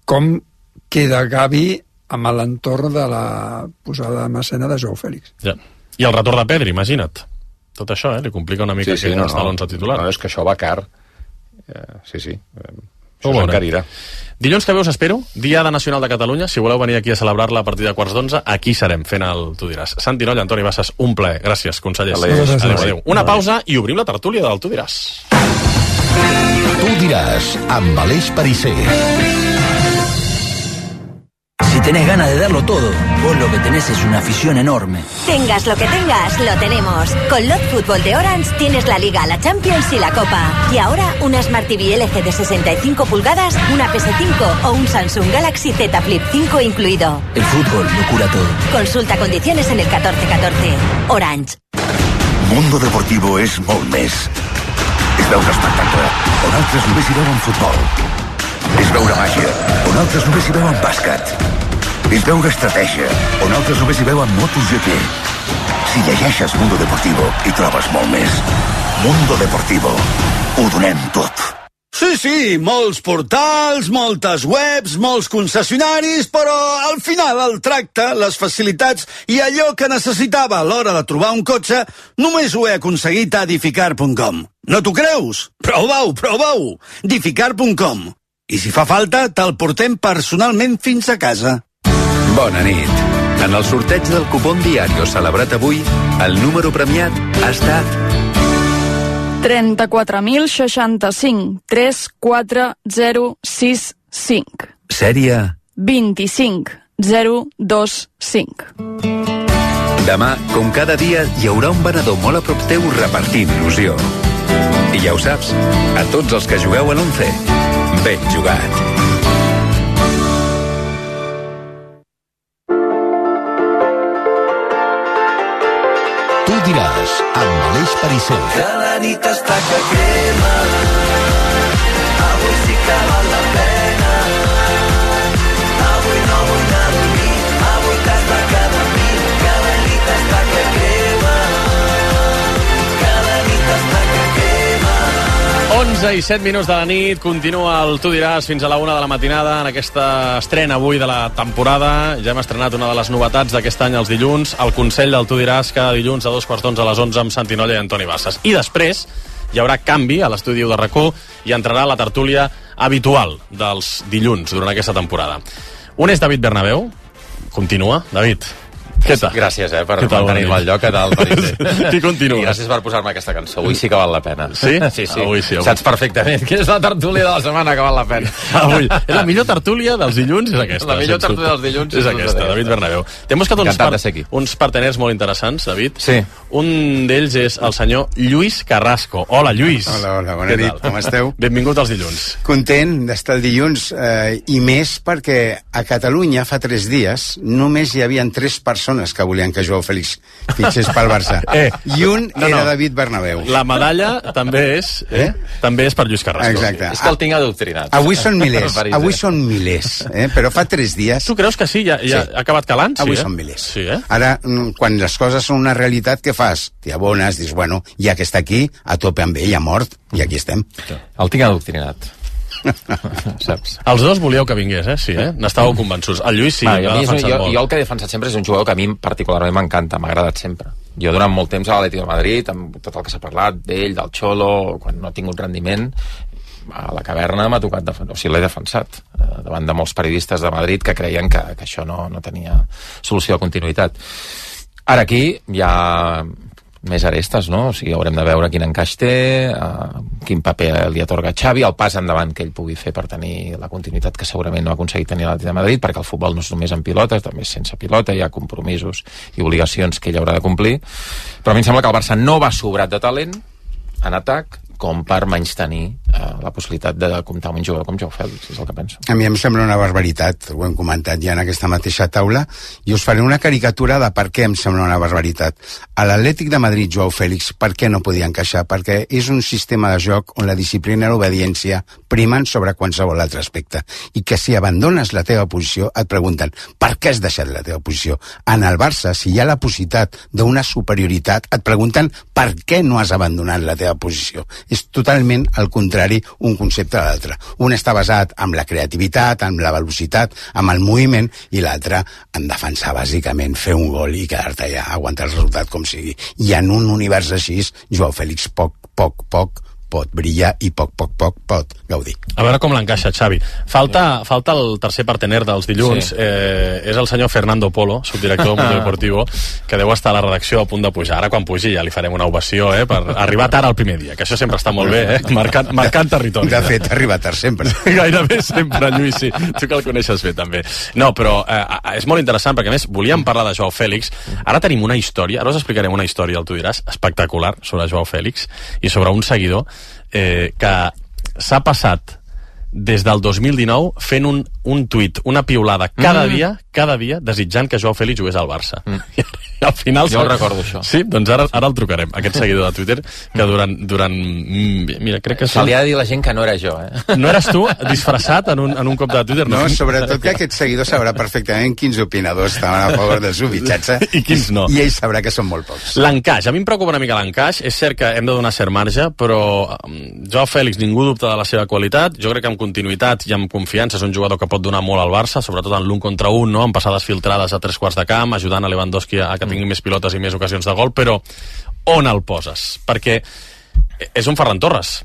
com queda Gavi amb l'entorn de la posada en escena de Joao Fèlix. Ja. I el retorn de Pedri, imagina't. Tot això, eh? Li complica una mica sí, sí, que no, els talons no. a titular. No, és que això va car. Uh, sí, sí. Uh, això s'encarirà. Dilluns que ve us espero, Diada Nacional de Catalunya. Si voleu venir aquí a celebrar-la a partir de quarts d'onze, aquí serem fent el Tu diràs. Santi Nolla, Antoni Bassas, un plaer. Gràcies, consellers. Adéu, adéu, adéu. Una pausa i obrim la tertúlia del Tu diràs. Tu diràs, amb Aleix Perisser. Si tenés ganas de darlo todo, vos lo que tenés es una afición enorme. Tengas lo que tengas, lo tenemos. Con Lot Fútbol de Orange tienes la Liga, la Champions y la Copa. Y ahora una Smart T V L G de sesenta y cinco pulgadas, una P S cinco o un Samsung Galaxy Z Flip cinco incluido. El fútbol lo cura todo. Consulta condiciones en el catorce catorce. Orange. Mundo Deportivo és molt més. És veure espectacle, on altres només hi veuen futbol. És veure màgia, on altres només hi veuen bàsquet. És veure estratègia, on altres només hi veuen MotoGP. Si llegeixes Mundo Deportivo, hi trobes molt més. Mundo Deportivo. Ho donem tot. Sí, sí, molts portals, moltes webs, molts concessionaris, però al final el tracte, les facilitats i allò que necessitava a l'hora de trobar un cotxe només ho he aconseguit a edificar punt com. No t'ho creus? Prova-ho, prova-ho! edificar punt com. I si fa falta, te'l portem personalment fins a casa. Bona nit. En el sorteig del cupón Diario celebrat avui, el número premiat ha estat trenta-quatre mil seixanta-cinc tres quatre zero sis cinc. Sèrie vint-i-cinc zero dos cinc. Demà, com cada dia, hi haurà un venedor molt a prop teu repartint il·lusió. I ja ho saps, a tots els que jugueu a l'once, ben jugat. Tu diràs, amb Aleix Perisser. Que la nit està que crema, avui sí que val la pena. Avui no vull anar a dormir, avui t'has de quedar amb mi. Que la nit està que crema, que la nit està que crema. onze i set minuts de la nit, continua el Tu diràs fins a la una de la matinada en aquesta estrena avui de la temporada. Ja hem estrenat una de les novetats d'aquest any els dilluns, el Consell del Tu diràs, cada dilluns a dos quarts d'onze a les onze amb Santi Nolla i Antoni Bassas. I després hi haurà canvi a l'estudi de RAC1 i entrarà la tertúlia habitual dels dilluns durant aquesta temporada. Un és David Bernabéu. Continua, David. Què tal? Gràcies, eh, per mantenir-me al lloc. Què tal, Perisser? Qui continua? I gràcies per posar-me aquesta cançó. Avui sí que val la pena. Sí? Sí, sí. Avui sí. Avui. Saps perfectament que és la tertúlia de la setmana que val la pena. Avui. La millor tertúlia dels dilluns és aquesta. La millor tertúlia dels dilluns és aquesta, David Bernabéu. T'hem buscat uns, par uns parteners molt interessants, David. Sí. Un d'ells és el senyor Lluís Carrasco. Hola, Lluís. Hola, hola, bona nit. Com esteu? Benvingut als dilluns. Content d'estar el dilluns, eh, i més perquè a Catalunya fa tres dies només hi havia tres persones que volien que Joao Fèlix fitxés pel Barça. Eh, I un no, era no. David Bernabéu. La medalla també és eh? també és per Lluís Carrasco. Exacte. És que el tinc adoctrinat. Avui són milers, avui són milers, eh? Però fa tres dies... Tu creus que sí? Ja, ja sí. ha acabat calant? Avui sí, eh? són milers. Sí, eh? Ara, quan les coses són una realitat, què fas? T'hi abones, dius, bueno, ja que està aquí, a tope amb ell, ha mort, i aquí estem. El tinc adoctrinat. Saps? Els dos volíeu que vingués, eh? Sí, eh? N'estàveu convençuts. El Lluís sí, ah, l'ha defensat jo, molt. Jo el que he defensat sempre és un jugador que a mi particularment m'encanta, m'ha agradat sempre. Jo durant molt temps a l'Atlètic de Madrid, amb tot el que s'ha parlat d'ell, del Xolo, quan no ha tingut rendiment, a la caverna m'ha tocat defensar, o sigui, l'he defensat eh, davant de molts periodistes de Madrid que creien que, que això no, no tenia solució de continuïtat. Ara aquí hi ha més arestes, no? O sigui, haurem de veure quin encaix té, eh, quin paper li atorga Xavi, el pas endavant que ell pugui fer per tenir la continuïtat que segurament no ha aconseguit tenir l'Atlètic de Madrid, perquè el futbol no és només amb pilotes, també és sense pilota, hi ha compromisos i obligacions que ell haurà de complir. Però a mi em sembla que el Barça no va sobrat de talent en atac com per menys tenir eh, la possibilitat de comptar amb un jugador com Joao Fèlix, és el que penso. A mi em sembla una barbaritat, ho hem comentat ja en aquesta mateixa taula, i us faré una caricatura de per què em sembla una barbaritat. A l'Atlètic de Madrid, Joao Fèlix, per què no podia encaixar? Perquè és un sistema de joc on la disciplina i l'obediència primen sobre qualsevol altre aspecte, i que si abandones la teva posició et pregunten per què has deixat la teva posició. En el Barça, si hi ha la possibilitat d'una superioritat, et pregunten per què no has abandonat la teva posició. És totalment al contrari un concepte de l'altre. Un està basat en la creativitat, en la velocitat, amb el moviment, i l'altre en defensar bàsicament, fer un gol i quedar-te allà, aguantar el resultat com sigui. I en un univers així, Joao Fèlix poc, poc, poc pot brillar i poc, poc, poc pot gaudir. A veure com l'encaixa, Xavi. Falta, falta el tercer partener dels dilluns. Sí. Eh, és el senyor Fernando Polo, subdirector del Mundo Deportivo, que deu estar a la redacció a punt de pujar. Ara, quan pugi, ja li farem una ovació, eh, per arribar tard al primer dia, que això sempre està molt bé, eh, marcant, marcant territori. De fet, arriba tard sempre. Gairebé sempre, Lluís, sí. Tu que el coneixes bé, també. No, però eh, és molt interessant, perquè, a més, volíem parlar de Joao Fèlix. Ara tenim una història, ara us explicarem una història, el tu diràs, espectacular, sobre Joao Fèlix, i sobre un seguidor Eh, que s'ha passat des del dos mil dinou fent un, un tuit, una piulada cada mm. dia, cada dia, desitjant que Joao Fèlix jugués al Barça. Mm. I, I al final... Jo el recordo, això. Sí? Doncs ara, ara el trucarem, aquest seguidor de Twitter, que durant... durant mira, crec que... Se li ha de dir a la gent que no era jo, eh? No eres tu, disfressat en un, en un cop de Twitter? No, no, sobretot que aquest seguidor sabrà perfectament quins opinadors estaven a favor del seu fitxatge i quins no. I ell sabrà que són molt pocs. L'encaix, a mi em preocupa una mica l'encaix. És cert que hem de donar cert marge, però Joao Fèlix, ningú dubta de la seva qualitat. Jo crec que amb continuïtat i amb confiança és un jugador que pot donar molt al Barça, sobretot en l'un contra un, no? Amb passades filtrades a tres quarts de camp, ajudant a Lewandowski a que tingui mm. més pilotes i més ocasions de gol, però on el poses? Perquè és un Ferran Torres,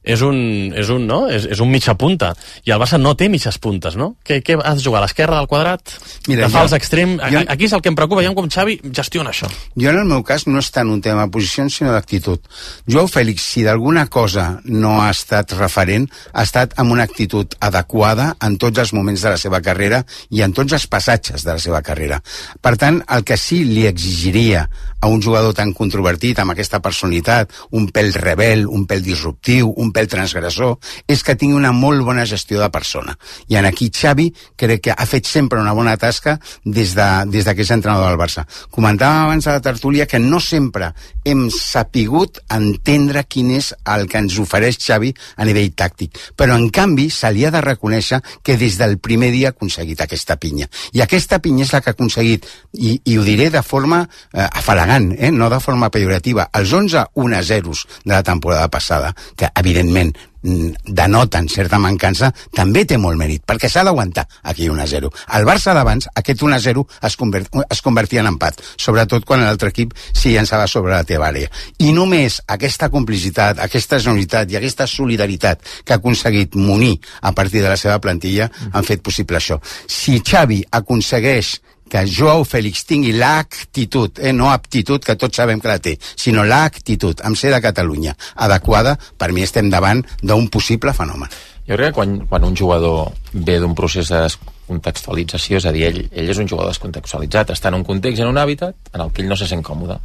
és un, és un, no? és, és un mitja punta, i el Barça no té mitges puntes, no? Què, què has de jugar, a l'esquerra del quadrat? Mira, de fals extrem? Jo, aquí és el que em preocupa, ja com Xavi gestiona això. Jo en el meu cas no és tant un tema de posicions, sinó d'actitud. Joao Fèlix, si d'alguna cosa no ha estat referent, ha estat amb una actitud adequada en tots els moments de la seva carrera i en tots els passatges de la seva carrera. Per tant, el que sí li exigiria a un jugador tan controvertit, amb aquesta personalitat, un pèl rebel, un pèl disruptiu, un pèl transgressor, és que tingui una molt bona gestió de persona. I en aquí Xavi crec que ha fet sempre una bona tasca des de, des de que és entrenador del Barça. Comentàvem abans a la tertúlia que no sempre hem sapigut entendre quin és el que ens ofereix Xavi a nivell tàctic, però en canvi se li ha de reconèixer que des del primer dia ha aconseguit aquesta pinya. I aquesta pinya és la que ha aconseguit, i, i ho diré de forma eh, afalagant, eh, no de forma pejorativa, els onze un a zero de la temporada passada, que evidentment denoten certa mancança, també té molt mèrit, perquè s'ha d'aguantar aquí un a zero. Al Barça d'abans, aquest un a zero es, convert, es convertia en empat, sobretot quan l'altre equip s'hi llançava sobre la teva àrea. I només aquesta complicitat, aquesta generositat i aquesta solidaritat que ha aconseguit munir a partir de la seva plantilla han fet possible això. Si Xavi aconsegueix que Joao Fèlix tingui l'actitud, eh, no aptitud, que tots sabem que la té, sinó l'actitud, amb ser de Catalunya, adequada, per mi estem davant d'un possible fenomen. Jo crec que quan, quan un jugador ve d'un procés de descontextualització, és a dir, ell, ell és un jugador descontextualitzat, està en un context, en un hàbitat en el que ell no se sent còmode,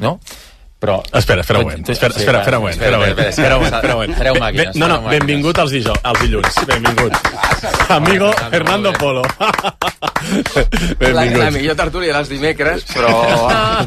no? Però... Espera, espera un moment, espera, espera, espera un moment, espera un moment, espera un moment, espera un moment. màquines, no, no, benvingut als, dijous, als dilluns, benvingut. Amigo Fernando Polo. La, la millor tertúlia dels dimecres, però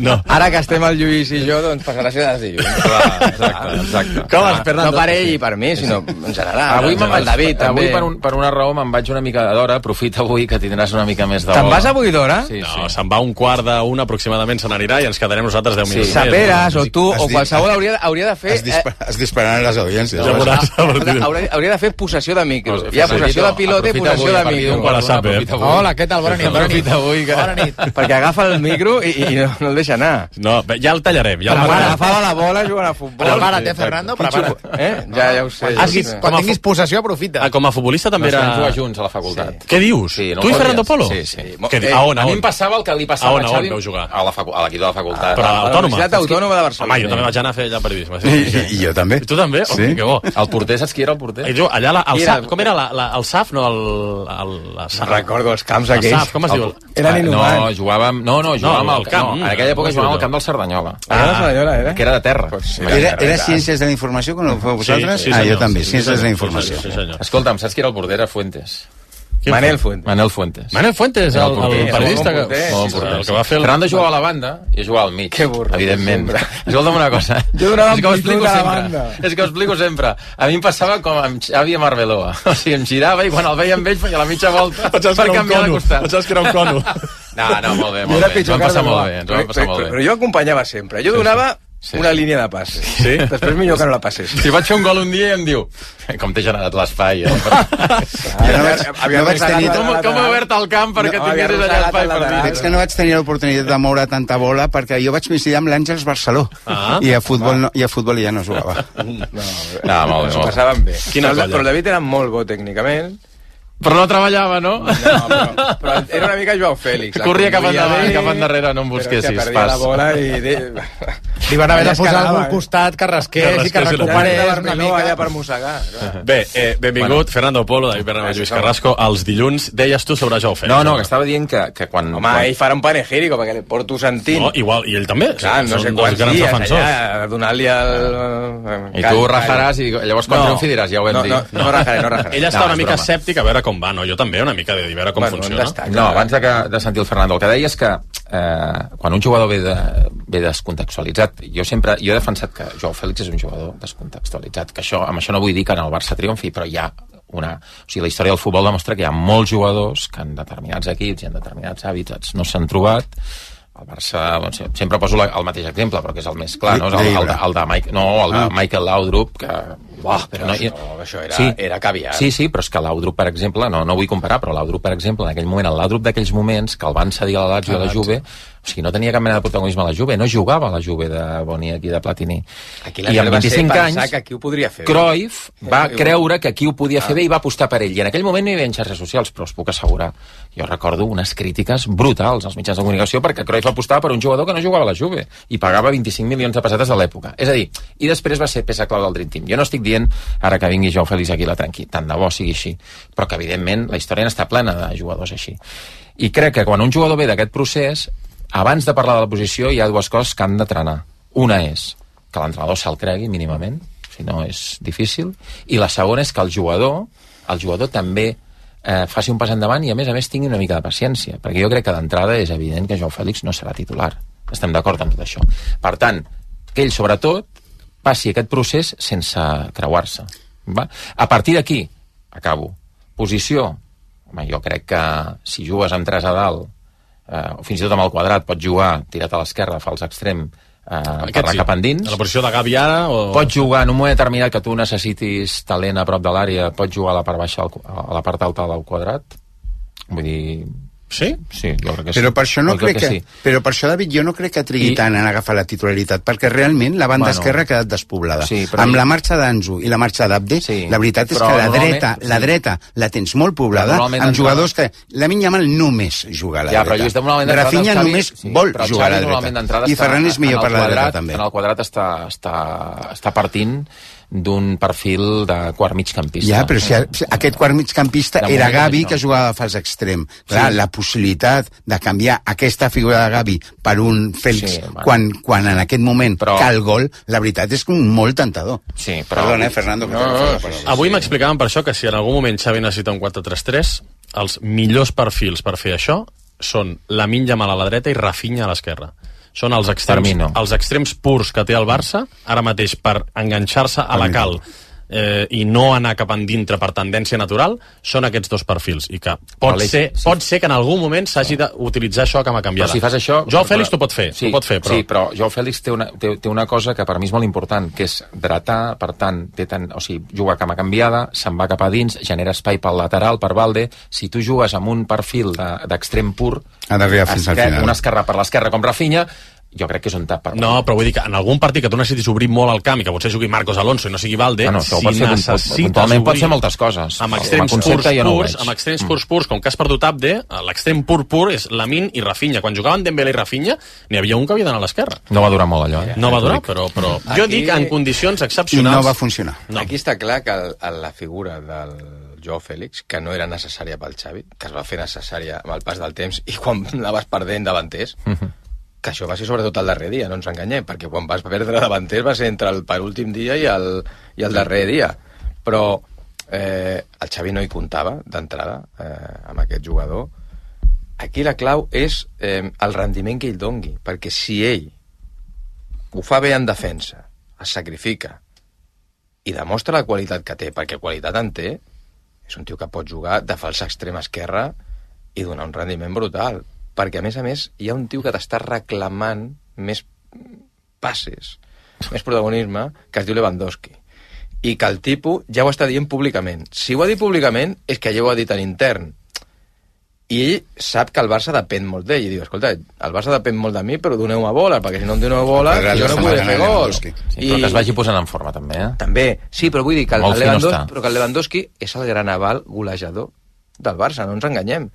no. Ara que estem el Lluís i jo, doncs passarà a ser dels dilluns. Clar, exacte, exacte. Com vas, Fernando? No per ell i per mi, sinó en general. Avui amb el David, també. Avui per, un, per una raó me'n vaig una mica d'hora, aprofita avui que tindràs una mica més d'hora. Te'n vas avui d'hora? Sí, no, sí. Se'n va un quart d'una aproximadament, se n'anirà i ens quedarem nosaltres deu minuts. Sí, Saperes, o tu, o qualsevol hauria, hauria de fer... Es, dispar, es dispararan les audiències. Ja veuràs, hauria, hauria de fer possessió de micro. Hi ha possessió de pilote i possessió de micro. Hola, què tal? Bona nit. Bona nit. Avui, que... Bona nit. Perquè agafa el micro i, i no, no el deixa anar. No, ja el tallarem. Ja el agafava la bola jugant a futbol. Prepara't, eh, Fernando? Prepara't. Eh? Ja, ja ho sé. Ah, sí, quan tinguis possessió, aprofita. Ah, com a futbolista també era... Vam jugar junts a la facultat. Sí. Què dius? Sí, no tu i Fernando Polo? Sí, sí. Què, a on, a a on? mi em passava el que li passava a on, a Xavi on vau jugar? a l'equip de la facultat. Però a l'Autònoma? A la Universitat Autònoma de Barcelona. Home, jo també vaig anar a fer allà periodisme. I, I jo també. I tu també? Sí. Oh, que bo. El porter, saps qui era el porter? I jo, allà, la, el Era- S A F, com era? La, la, el S A F, no? El, el, la S A F. Recordo els camps El aquells. S A F, com es diu? Eren Ah, inhumans. No, jugàvem... No, no, jugàvem No, al al camp. No, en aquella època Com es jugàvem diu al camp del Cerdanyola. Ah, la Cerdanyola, era? Que era de terra. Era, era Ciències de la Informació, quan ho feu vosaltres? Sí, sí, ah, senyor, jo també, sí, Ciències de la senyor, Informació. sí, senyor. Escolta'm, saps qui era el porter? Era Fuentes. Manel Fuentes. Manel Fuentes. Manel Fuentes, el, el, porter. el periodista Bon que, porter, bon sí, porter, Sí, el que va fer el... Fernando jugava a la banda i jo jugava al mig. Que burro, evidentment. sempre. Escolta'm una cosa. Jo donava És que ho amplitud explico a la sempre. banda. És que ho explico sempre. A mi em passava com amb Xavi amb Arbeloa. O sigui, em girava i quan el veia amb ell feia la mitja volta Pensaves per que era un canviar de cono. costat. Pensaves que era un cono. No, no, molt bé, Jo molt era bé. Ens pitjor vam que passar Arbeloa. molt bé. Ens vam passar Però- molt bé. Però jo acompanyava sempre. Jo donava Sí. una línia de passes. Sí? Després millor que no la passés. Si vaig fer un gol un dia i em diu com t'he generat l'espai, eh? Jo no vaig, no vaig tenir... Com, com he obert el camp perquè No, tinguessis havia allà espai arrossegat per el Veig dir. que no vaig tenir l'oportunitat de moure tanta bola perquè jo vaig coincidir amb l'Àngels Barceló Ah. i a futbol, no, i a futbol ja no jugava. No, No, molt bé, s'ho molt bé. passaven bé. Quina però, colla. però el David era molt bo tècnicament. Però no treballava, no? No, però, però era una mica Joao Fèlix. La Corria cap conduïa endavant, bé, cap endarrere, no em però busquessis, hòstia, perdia pas. la bola i... De... Li van haver de Allà es posar quedava, algú al eh? costat que rasqués i que rasqués, recuperés de una Barmeló allà mica. per mossegar. clar. Bé, eh, benvingut, bueno. Fernando Polo, David Bernabé, Lluís Carrasco. Els dilluns deies tu sobre Joao Fèlix. No, no, que estava dient que, que quan... Home, quan... ell farà un panegírico perquè li porto sentint. No, igual, i ell també. Clar, no Són sé dos quants grans dies defensors. allà, donant-li el... I tu rajaràs i llavors quan No. triomfi diràs, ja ho vam No, dir. no, no rajaré, no rajaré. Ell està No, una és mica broma. escèptic a veure com va, no? Jo també, una mica de dir, a veure com Bueno, funciona. on està? No, abans de, que, de sentir el Fernando, el que deia és que eh, quan un jugador ve, de, ve descontextualitzat, jo sempre jo he defensat que Joao Fèlix és un jugador descontextualitzat, que això, amb això no vull dir que en el Barça triomfi, però hi ha una... O sigui, la història del futbol demostra que hi ha molts jugadors que en determinats equips i en determinats hàbitats no s'han trobat. El Barça, doncs, sempre poso la, el mateix exemple, però que és el més clar, no? És el, el, de, el de, Mike, no, el de Michael Laudrup, que... Uah, però no, això, això era, era caviar. Sí, sí, però és que Laudrup, per exemple, no, no vull comparar, però Laudrup, per exemple, en aquell moment, el Laudrup d'aquells moments, que el van cedir a la Lazio i a la Juve, o sigui, no tenia cap mena de protagonisme a la Juve, no jugava a la Juve de Boniek i de Platini. Aquí la I amb va ser vint-i-cinc pensar anys, que aquí ho podria fer. Cruyff va Sí, creure que aquí ho podia fer Ah. bé i va apostar per ell. I en aquell moment no hi havia xarxes socials, però us puc assegurar, jo recordo unes crítiques brutals als mitjans de comunicació perquè Cruyff apostava per un jugador que no jugava a la Juve i pagava vint-i-cinc milions de pessetes de l'època. És a dir, i després va ser peça clau del Dream Team. Jo no estic dient ara que vingui Joao Fèlix aquí la tranqui, tant de bo sigui així, però que evidentment la història n'està plena de jugadors així. I crec que quan un jugador ve d'aquest procés, abans de parlar de la posició hi ha dues coses que han de trenar. Una és que l'entrenador se'l cregui mínimament, si no és difícil, i la segona és que el jugador, el jugador també eh, faci un pas endavant i a més a més tingui una mica de paciència, perquè jo crec que d'entrada és evident que Joao Fèlix no serà titular. Estem d'acord amb tot això. Per tant, que ell sobretot passi aquest procés sense creuar-se. Va? A partir d'aquí, acabo, posició, home, jo crec que si jugues amb tres a dalt, eh, o fins i tot amb el quadrat, pots jugar tirat a l'esquerra, fals extrem, eh, per anar cap endins. A la posició de Gavi ara? O... Pots jugar en un moment determinat que tu necessitis talent a prop de l'àrea, pots jugar a la part baixa, a la part alta del quadrat. Vull dir... Sí? Sí, jo crec que sí. Però per això no Jo crec que, sí. però per això, David, jo no crec que trigui I- tant en agafar la titularitat, perquè realment la banda Bueno. esquerra ha quedat despoblada. Sí, però Amb i- la marxa d'Anzu i la marxa d'Abde, Sí, la veritat és però que la normalment- dreta, la sí. dreta la tens molt poblada, Però normalment amb d'entrada- jugadors que... Lamine Yamal només juga a la Ja, dreta. però Lluís, normalment d'entrada Rafinha el Xavi- només sí, vol però el jugar a Xavi la normalment dreta. d'entrada I està Ferran és millor en per el la dreta, quadrat, també. En el quadrat està, està, està partint d'un perfil de quart migcampista. Ja, però si, si aquest quart migcampista De era moment Gavi, no. que jugava a fals extrem. Clar, Sí. la possibilitat de canviar aquesta figura de Gavi per un Fèlix Sí, bueno. quan, quan en aquest moment Però- cal gol, la veritat és que molt tentador. Sí, però... Perdona, eh, Fernando, que No, t'he no, agafat la sí, paraula. Avui m'explicaven per això que si en algun moment Xavi necessita un quatre tres tres, els millors perfils per fer això són Lamine Yamal a la dreta i Rafinha a l'esquerra. Són els extrems, Per mi no. els extrems purs que té el Barça ara mateix per enganxar-se a la cal eh, i no anar cap endintre per tendència natural, són aquests dos perfils. I que pot, Però, ser, sí. pot ser que en algun moment s'hagi d'utilitzar això com a Però canviada. si fas això... Joao Fèlix però- t'ho pot fer, sí, t'ho pot fer, però... Sí, però Joao Fèlix té una, té, té una cosa que per mi és molt important, que és dretar, per tant, té tant, o sigui, juga cama canviada, se'n va cap a dins, genera espai pel lateral, per Valde. Si tu jugues amb un perfil de- d'extrem pur, Ha d'arribar fins al esquer- final. una esquerra per l'esquerra com Rafinha, jo crec que és un tap per... No, però vull dir que en algun partit que tu necessitis obrir molt el camp i que potser jugui Marcos Alonso i no sigui Valde, bueno, si necessites puntualment pot ser moltes coses. Amb extrems purs, purs, amb extrems purs, purs, com que has perdut Abde, l'extrem pur pur és Lamine i Rafinha. Quan jugaven Dembélé i Rafinha, n'hi havia un que havia d'anar a l'esquerra. No va durar molt allò, eh? No va durar, però, però Aquí... jo dic en condicions excepcionals... I no va funcionar. No. Aquí està clar que el, la figura del Joao Félix, que no era necessària pel Xavi, que es va fer necessària amb el pas del temps i quan la vas perdent davanters, uh-huh. que això va ser sobretot el darrer dia, no ens enganyem, perquè quan vas perdre davanters va ser entre el penúltim dia i el, i el darrer dia. Però eh, el Xavi no hi comptava d'entrada eh, amb aquest jugador. Aquí la clau és eh, el rendiment que ell dongui, perquè si ell ho fa bé en defensa, es sacrifica i demostra la qualitat que té, perquè qualitat en té, és un tio que pot jugar de fals extrem esquerra i donar un rendiment brutal. Perquè, a més a més, hi ha un tio que t'està reclamant més passes, més protagonisme, que es diu Lewandowski. I que el tipus ja ho està dient públicament. Si ho ha dit públicament, és que ja ho ha dit en intern. I ell sap que el Barça depèn molt d'ell. I diu, escolta, el Barça depèn molt de mi, però doneu-me bola, perquè si no em doneu bola, jo no podré fer gol. Sí, però que es vagi posant en forma, també, eh? També, sí, però vull dir que el, el, Lewandowski, però que el Lewandowski és el gran aval golejador del Barça, no ens enganyem.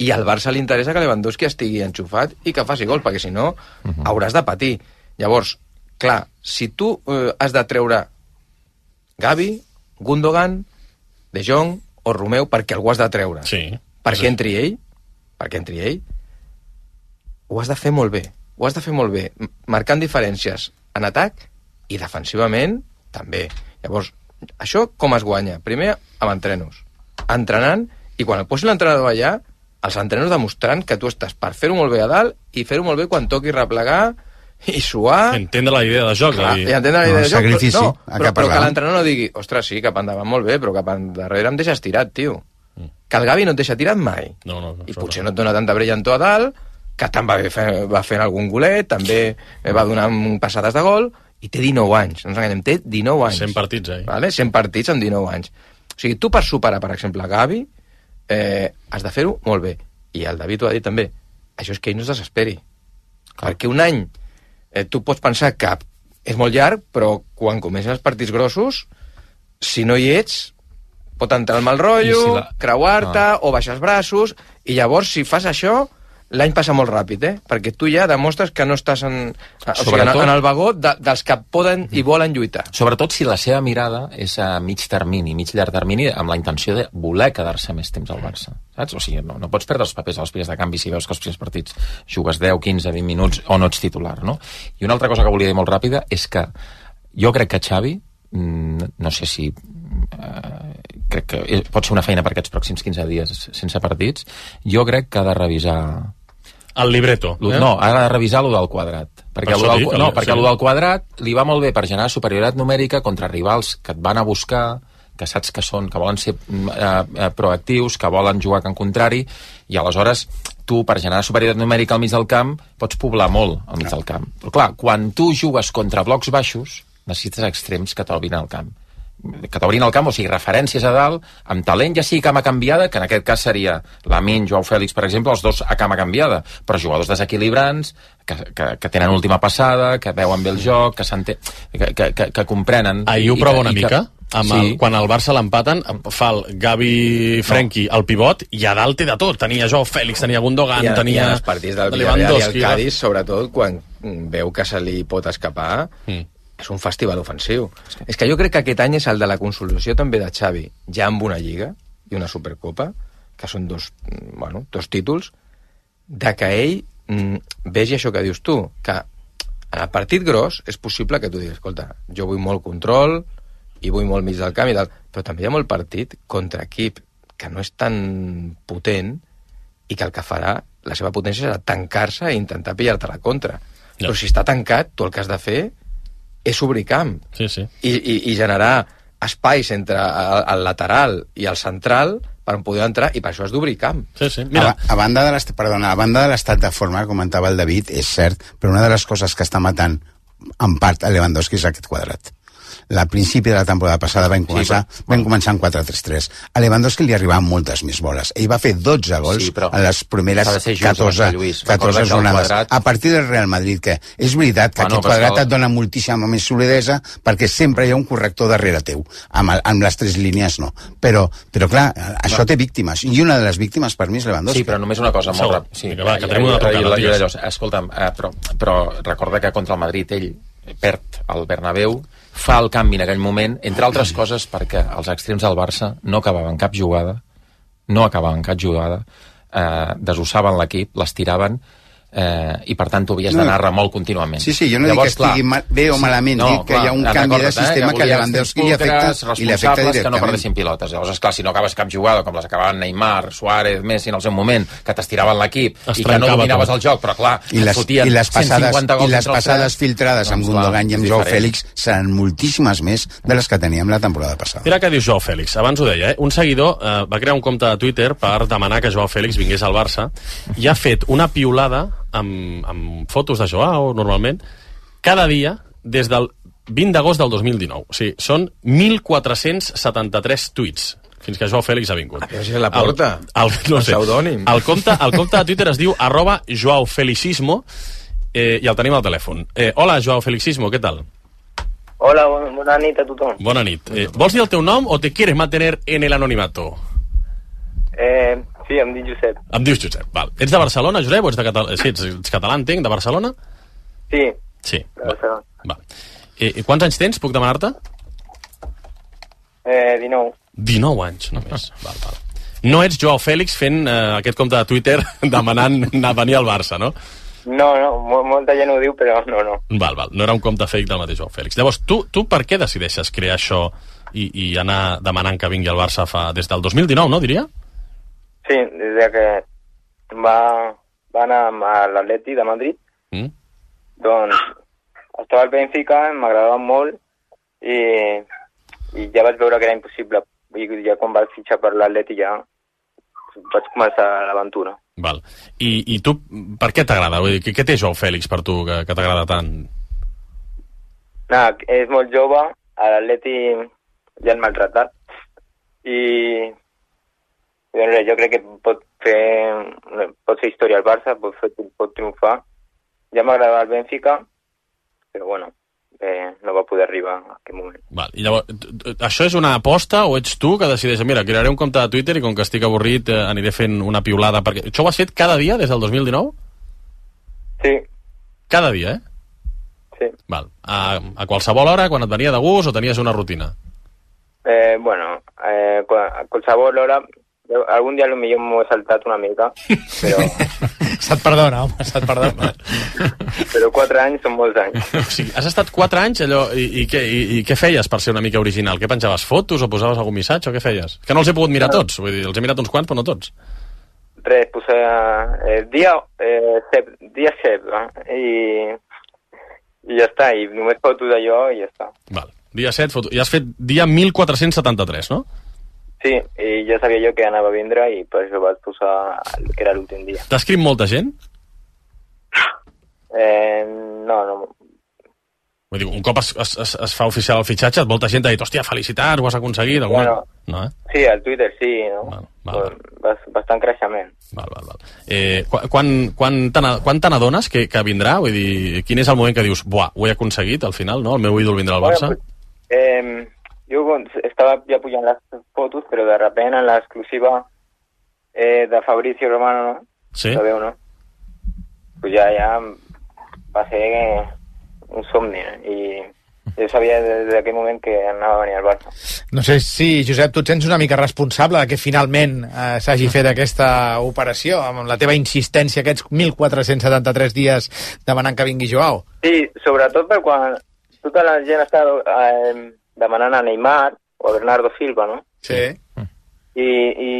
I al Barça li interessa que Lewandowski estigui enxufat i que faci gol, perquè si no uh-huh. hauràs de patir. Llavors, clar, si tu eh, has de treure Gavi, Gundogan, De Jong o Romeu perquè algú has de treure, sí. perquè sí. entri ell, perquè entri ell, ho has de fer molt bé, ho has de fer molt bé, marcant diferències en atac i defensivament també. Llavors, això com es guanya? Primer, amb entrenos, entrenant, i quan el posi l'entrenador allà, els entrenos demostrant que tu estàs per fer-ho molt bé a dalt i fer-ho molt bé quan toqui replegar i suar... Entendre la idea de joc. Clar, i entendre la idea no, de joc, sacrifici, però, no, però, però que l'entrenador no digui, ostres, sí, cap endavant molt bé, però cap endarrere em deixes tirat, tio. Mm. Que el Gavi no et deixa tirat mai. No, no, no, I potser no et dona tanta brillantor a dalt, que tant va, fer, va fent algun golet, també va donar passades de gol, i té dinou anys, no ens enganyem, té dinou anys. cent partits, eh? Vale? cent partits amb dinou anys. O sigui, tu per superar, per exemple, Gavi, eh, has de fer-ho molt bé. I el David ho ha dit també, això és que ell no es desesperi. Clar. Perquè un any eh, tu pots pensar que és molt llarg, però quan comencen els partits grossos, si no hi ets, pot entrar el mal rotllo, si la... creuar-te ah. o baixar els braços, i llavors si fas això, l'any passa molt ràpid, eh? Perquè tu ja demostres que no estàs en, o sigui, en, en el vagó de, dels que poden i volen lluitar. Sobretot si la seva mirada és a mig termini, mig llarg termini, amb la intenció de voler quedar-se més temps al Barça. Saps? O sigui, no, no pots perdre els papers als primers de canvi si veus que els primers partits jugues deu, quinze, vint minuts o no ets titular, no? I una altra cosa que volia dir molt ràpida és que jo crec que Xavi, no sé si... Eh, crec que pot ser una feina per aquests pròxims quinze dies sense partits, jo crec que ha de revisar el libreto, eh? No, ha de revisar lo del quadrat, perquè per lo del, dic, no, sí. perquè lo del quadrat li va molt bé per generar superioritat numèrica contra rivals que et van a buscar, que saps que són, que volen ser eh, proactius, que volen jugar en contrari, i aleshores tu, per generar superioritat numèrica al mig del camp, pots poblar molt al mig del camp. Però clar, quan tu jugues contra blocs baixos, necessites extrems que t'obrin al camp. que t'obrin el camp, o sigui, referències a dalt, amb talent, ja sigui cama canviada, que en aquest cas seria Lamine, Joao Félix, per exemple, els dos a cama canviada, però jugadors desequilibrants, que, que, que tenen última passada, que veuen bé el joc, que, que, que, que, que comprenen... Ahir ho prova una mica, que, amb el, sí. quan el Barça l'empaten, fa el Gavi Frenkie al pivot, i a dalt té de tot. Tenia Joao Félix, tenia Gundogan, I a, tenia... I en els partits del Villarreal i el Cádiz, sobretot, quan veu que se li pot escapar... Mm. És un festival ofensiu. És que... és que jo crec que aquest any és el de la consolidació també de Xavi, ja amb una Lliga i una Supercopa, que són dos, bueno, dos títols, de que ell mm, vegi això que dius tu, que en el partit gros és possible que tu diguis, escolta, jo vull molt control i vull molt mig del camp i tal, però també hi ha molt partit contra equip que no és tan potent i que el que farà, la seva potència serà tancar-se i intentar pillar-te la contra. No. Però si està tancat, tu el que has de fer és obrir camp sí, sí. I, i, i generar espais entre el, el lateral i el central per poder entrar, i per això has d'obrir camp. Sí, sí. Mira. A, a, banda de perdona, a banda de l'estat de forma, comentava el David, és cert, però una de les coses que està matant en part a Lewandowski és aquest quadrat. la principi de la temporada passada vam començar, sí, però, vam començar en quatre tres tres. A Lewandowski li arribaven moltes més boles. Ell va fer dotze gols sí, a les primeres catorze, catorze jornades. A partir del Real Madrid, que és veritat que bueno, aquest quadrat el... et dona moltíssima més solidesa perquè sempre hi ha un corrector darrere teu. Amb, el, amb les tres línies no. Però, però clar, això no. té víctimes. I una de les víctimes per mi és Lewandowski. Sí, però només una cosa molt ràpida. Sí, va, que tenim una trucada. Escolta'm, eh, però, però recorda que contra el Madrid ell perd el Bernabéu, fa el canvi en aquell moment, entre altres coses perquè els extrems del Barça no acabaven cap jugada, no acabaven cap jugada, eh, desossaven l'equip, l'estiraven, eh, i per tant tu havies d'anar no. molt contínuament. Sí, sí, jo no Llavors, dic que estigui clar, bé o malament, no, dic que clar, hi ha un canvi de sistema eh, que, que Lewandowski li afecta i li afecta directament. Que no perdessin pilotes. Llavors, esclar, si no acabes cap jugada, com les acabaven Neymar, Suárez, Messi en el seu moment, que t'estiraven l'equip i que no dominaves tot el joc, però clar, I les, i les passades, i les passades filtrades amb Gundogan i amb Joao Fèlix seran moltíssimes més de les que teníem la temporada passada. Mira què diu Joao Fèlix. Abans ho deia, eh? Un seguidor eh, va crear un compte de Twitter per demanar que Joao Fèlix vingués al Barça i ha fet una piulada amb, amb fotos de Joao, normalment, cada dia, des del vint d'agost del dos mil dinou. O sigui, són mil quatre-cents setanta-tres tuits fins que Joao Fèlix ha vingut. A veure si la porta. El, el, no el sé, pseudònim. El compte, el compte de Twitter es diu arroba Joao Felicismo eh, i el tenim al telèfon. Eh, hola, Joao Felicismo, què tal? Hola, bona nit a tothom. Bona nit. Eh, vols dir el teu nom o te quieres mantener en el anonimato? Eh, sí, em dic Josep. Em dius Josep, val. Ets de Barcelona, Josep, o ets, de Catal... sí, ets, ets català, entenc, de Barcelona? Sí. Sí, de Barcelona. Va. Eh, quants anys tens, puc demanar-te? Eh, dinou. dinou anys, només. Val, val. No ets Joao Fèlix fent eh, aquest compte de Twitter demanant anar a venir al Barça, no? No, no, molta gent ho diu, però no, no. Val, val, no era un compte fake del mateix Joao Fèlix. Llavors, tu, tu per què decideixes crear això i, i anar demanant que vingui al Barça fa, des del dos mil dinou, no, diria? Sí, des de que va, va anar a l'Atleti de Madrid, mm. doncs estava al Benfica, m'agradava molt i, i ja vaig veure que era impossible. I ja quan vaig fitxar per l'Atleti ja vaig començar l'aventura. Val. I, I tu, per què t'agrada? Què, què té Joao Fèlix per tu que, que t'agrada tant? No, és molt jove, a l'Atleti ja han maltratat i doncs, jo crec que pot fer pot fer història al Barça, pot, fer, pot triomfar. Ja m'agradava el Benfica, però bueno, eh, no va poder arribar a aquest moment. Val. I llavors, això és una aposta o ets tu que decideix, mira, crearé un compte de Twitter i com que estic avorrit eh, aniré fent una piulada? Perquè això ho has fet cada dia des del dos mil dinou? Sí. Cada dia, eh? Sí. Val. A, a qualsevol hora, quan et venia de gust o tenies una rutina? Eh, bueno, eh, a qualsevol hora. Algun dia potser m'ho he saltat una mica, però... Se't perdona, home, se't perdona. Però quatre anys són molts anys. O sigui, has estat quatre anys allò, i, i, què, i, i què feies per ser una mica original? Què penjaves, fotos o posaves algun missatge o què feies? Que no els he pogut mirar tots, vull dir, els he mirat uns quants però no tots. Res, posava eh, dia eh, sep, dia sep, eh, i, i ja està, i només fotos d'allò i ja està. Val, dia set, foto... i has fet dia mil quatre-cents setanta-tres, no? Sí, i ja sabia jo que anava a vindre i per això vaig posar que era l'últim dia. T'ha escrit molta gent? Eh, no, no. Vull dir, un cop es, es, es fa oficial el fitxatge, molta gent t'ha dit, hòstia, felicitats, ho has aconseguit. Alguna... Bueno, no, eh? Sí, al Twitter sí, no? Val, val, val. Bastant creixement. Val, val, val. Eh, quan quan, quan te n'adones que, que vindrà? Vull dir, quin és el moment que dius, buah, ho he aconseguit al final, no? El meu ídol vindrà al Barça? Bueno, pues, eh... Jo estava ja pujant les fotos, però de repente en l'exclusiva eh, de Fabrizio Romano, no? Sí. Sabeu, no? Pues ja, ja va ser un somni, eh? I jo sabia des d'aquell moment que anava a venir al Barça. No sé si, Josep, tu et sents una mica responsable de que finalment eh, s'hagi fet aquesta operació, amb la teva insistència aquests mil quatre-cents setanta-tres dies demanant que vingui Joao. Sí, sobretot per quan tota la gent està... Eh, demanant a Neymar o a Bernardo Silva, no? Sí. I, i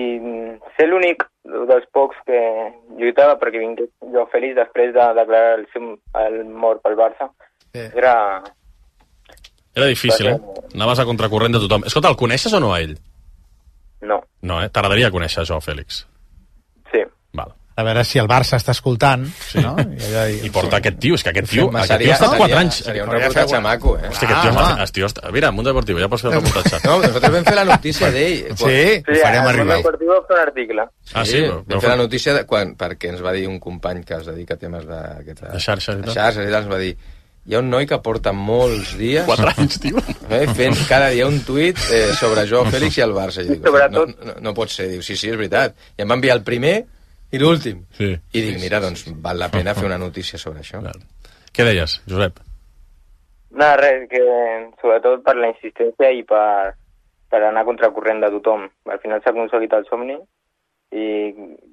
ser l'únic dels pocs que lluitava perquè vingués Joao Fèlix després de declarar el seu el mort pel Barça. Sí. Era... Era difícil, eh? Anaves a contracorrent de tothom. Escolta, el coneixes o no a ell? No. No, eh? T'agradaria conèixer Joao Fèlix? Sí. Val. A veure si el Barça està escoltant, sí. no? I, allà, I porta aquest tio, és que aquest tio, aquest seria, tio ha estat quatre anys. Seria un reportatge maco, eh? Hosti, aquest tio, ah, està, tio està... Mira, Mundo Deportivo, ja pots fer el reportatge. No, nosaltres vam fer la notícia d'ell. Sí, sí, ho farem arribar. Mundo Deportivo va fer un article. Ah, sí? Vam fer la notícia de, quan, perquè ens va dir un company que es dedica a temes de... Aquesta, de xarxes i tal. De xarxes i tal, ens va dir hi ha un noi que porta molts dies... Quatre anys, tio. Eh, fent cada dia un tuit eh, sobre Joao Fèlix i el Barça. I dic, no, no, no pot ser. Diu, sí, sí, és veritat. I em va enviar el primer i l'últim. Sí. I dic, mira, doncs val la pena fer una notícia sobre això. Clar. Què deies, Josep? No, res, que sobretot per la insistència i per, per anar contracorrent de tothom. Al final s'ha aconseguit el somni i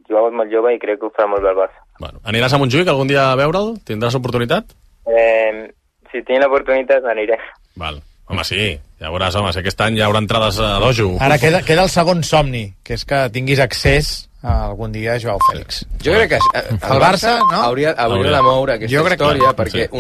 Joao és molt jove i crec que ho farà molt bé el Barça. Bueno, aniràs a Montjuïc algun dia a veure'l? Tindràs oportunitat? Eh, si tinc l'oportunitat aniré. Val. Home, sí, ja veuràs, home, si aquest any hi haurà entrades a dojo. Ara queda, queda el segon somni, que és que tinguis accés a algun dia a Joao Fèlix. Jo crec que el, el Barça, no? hauria, hauria, hauria de moure aquesta història, perquè una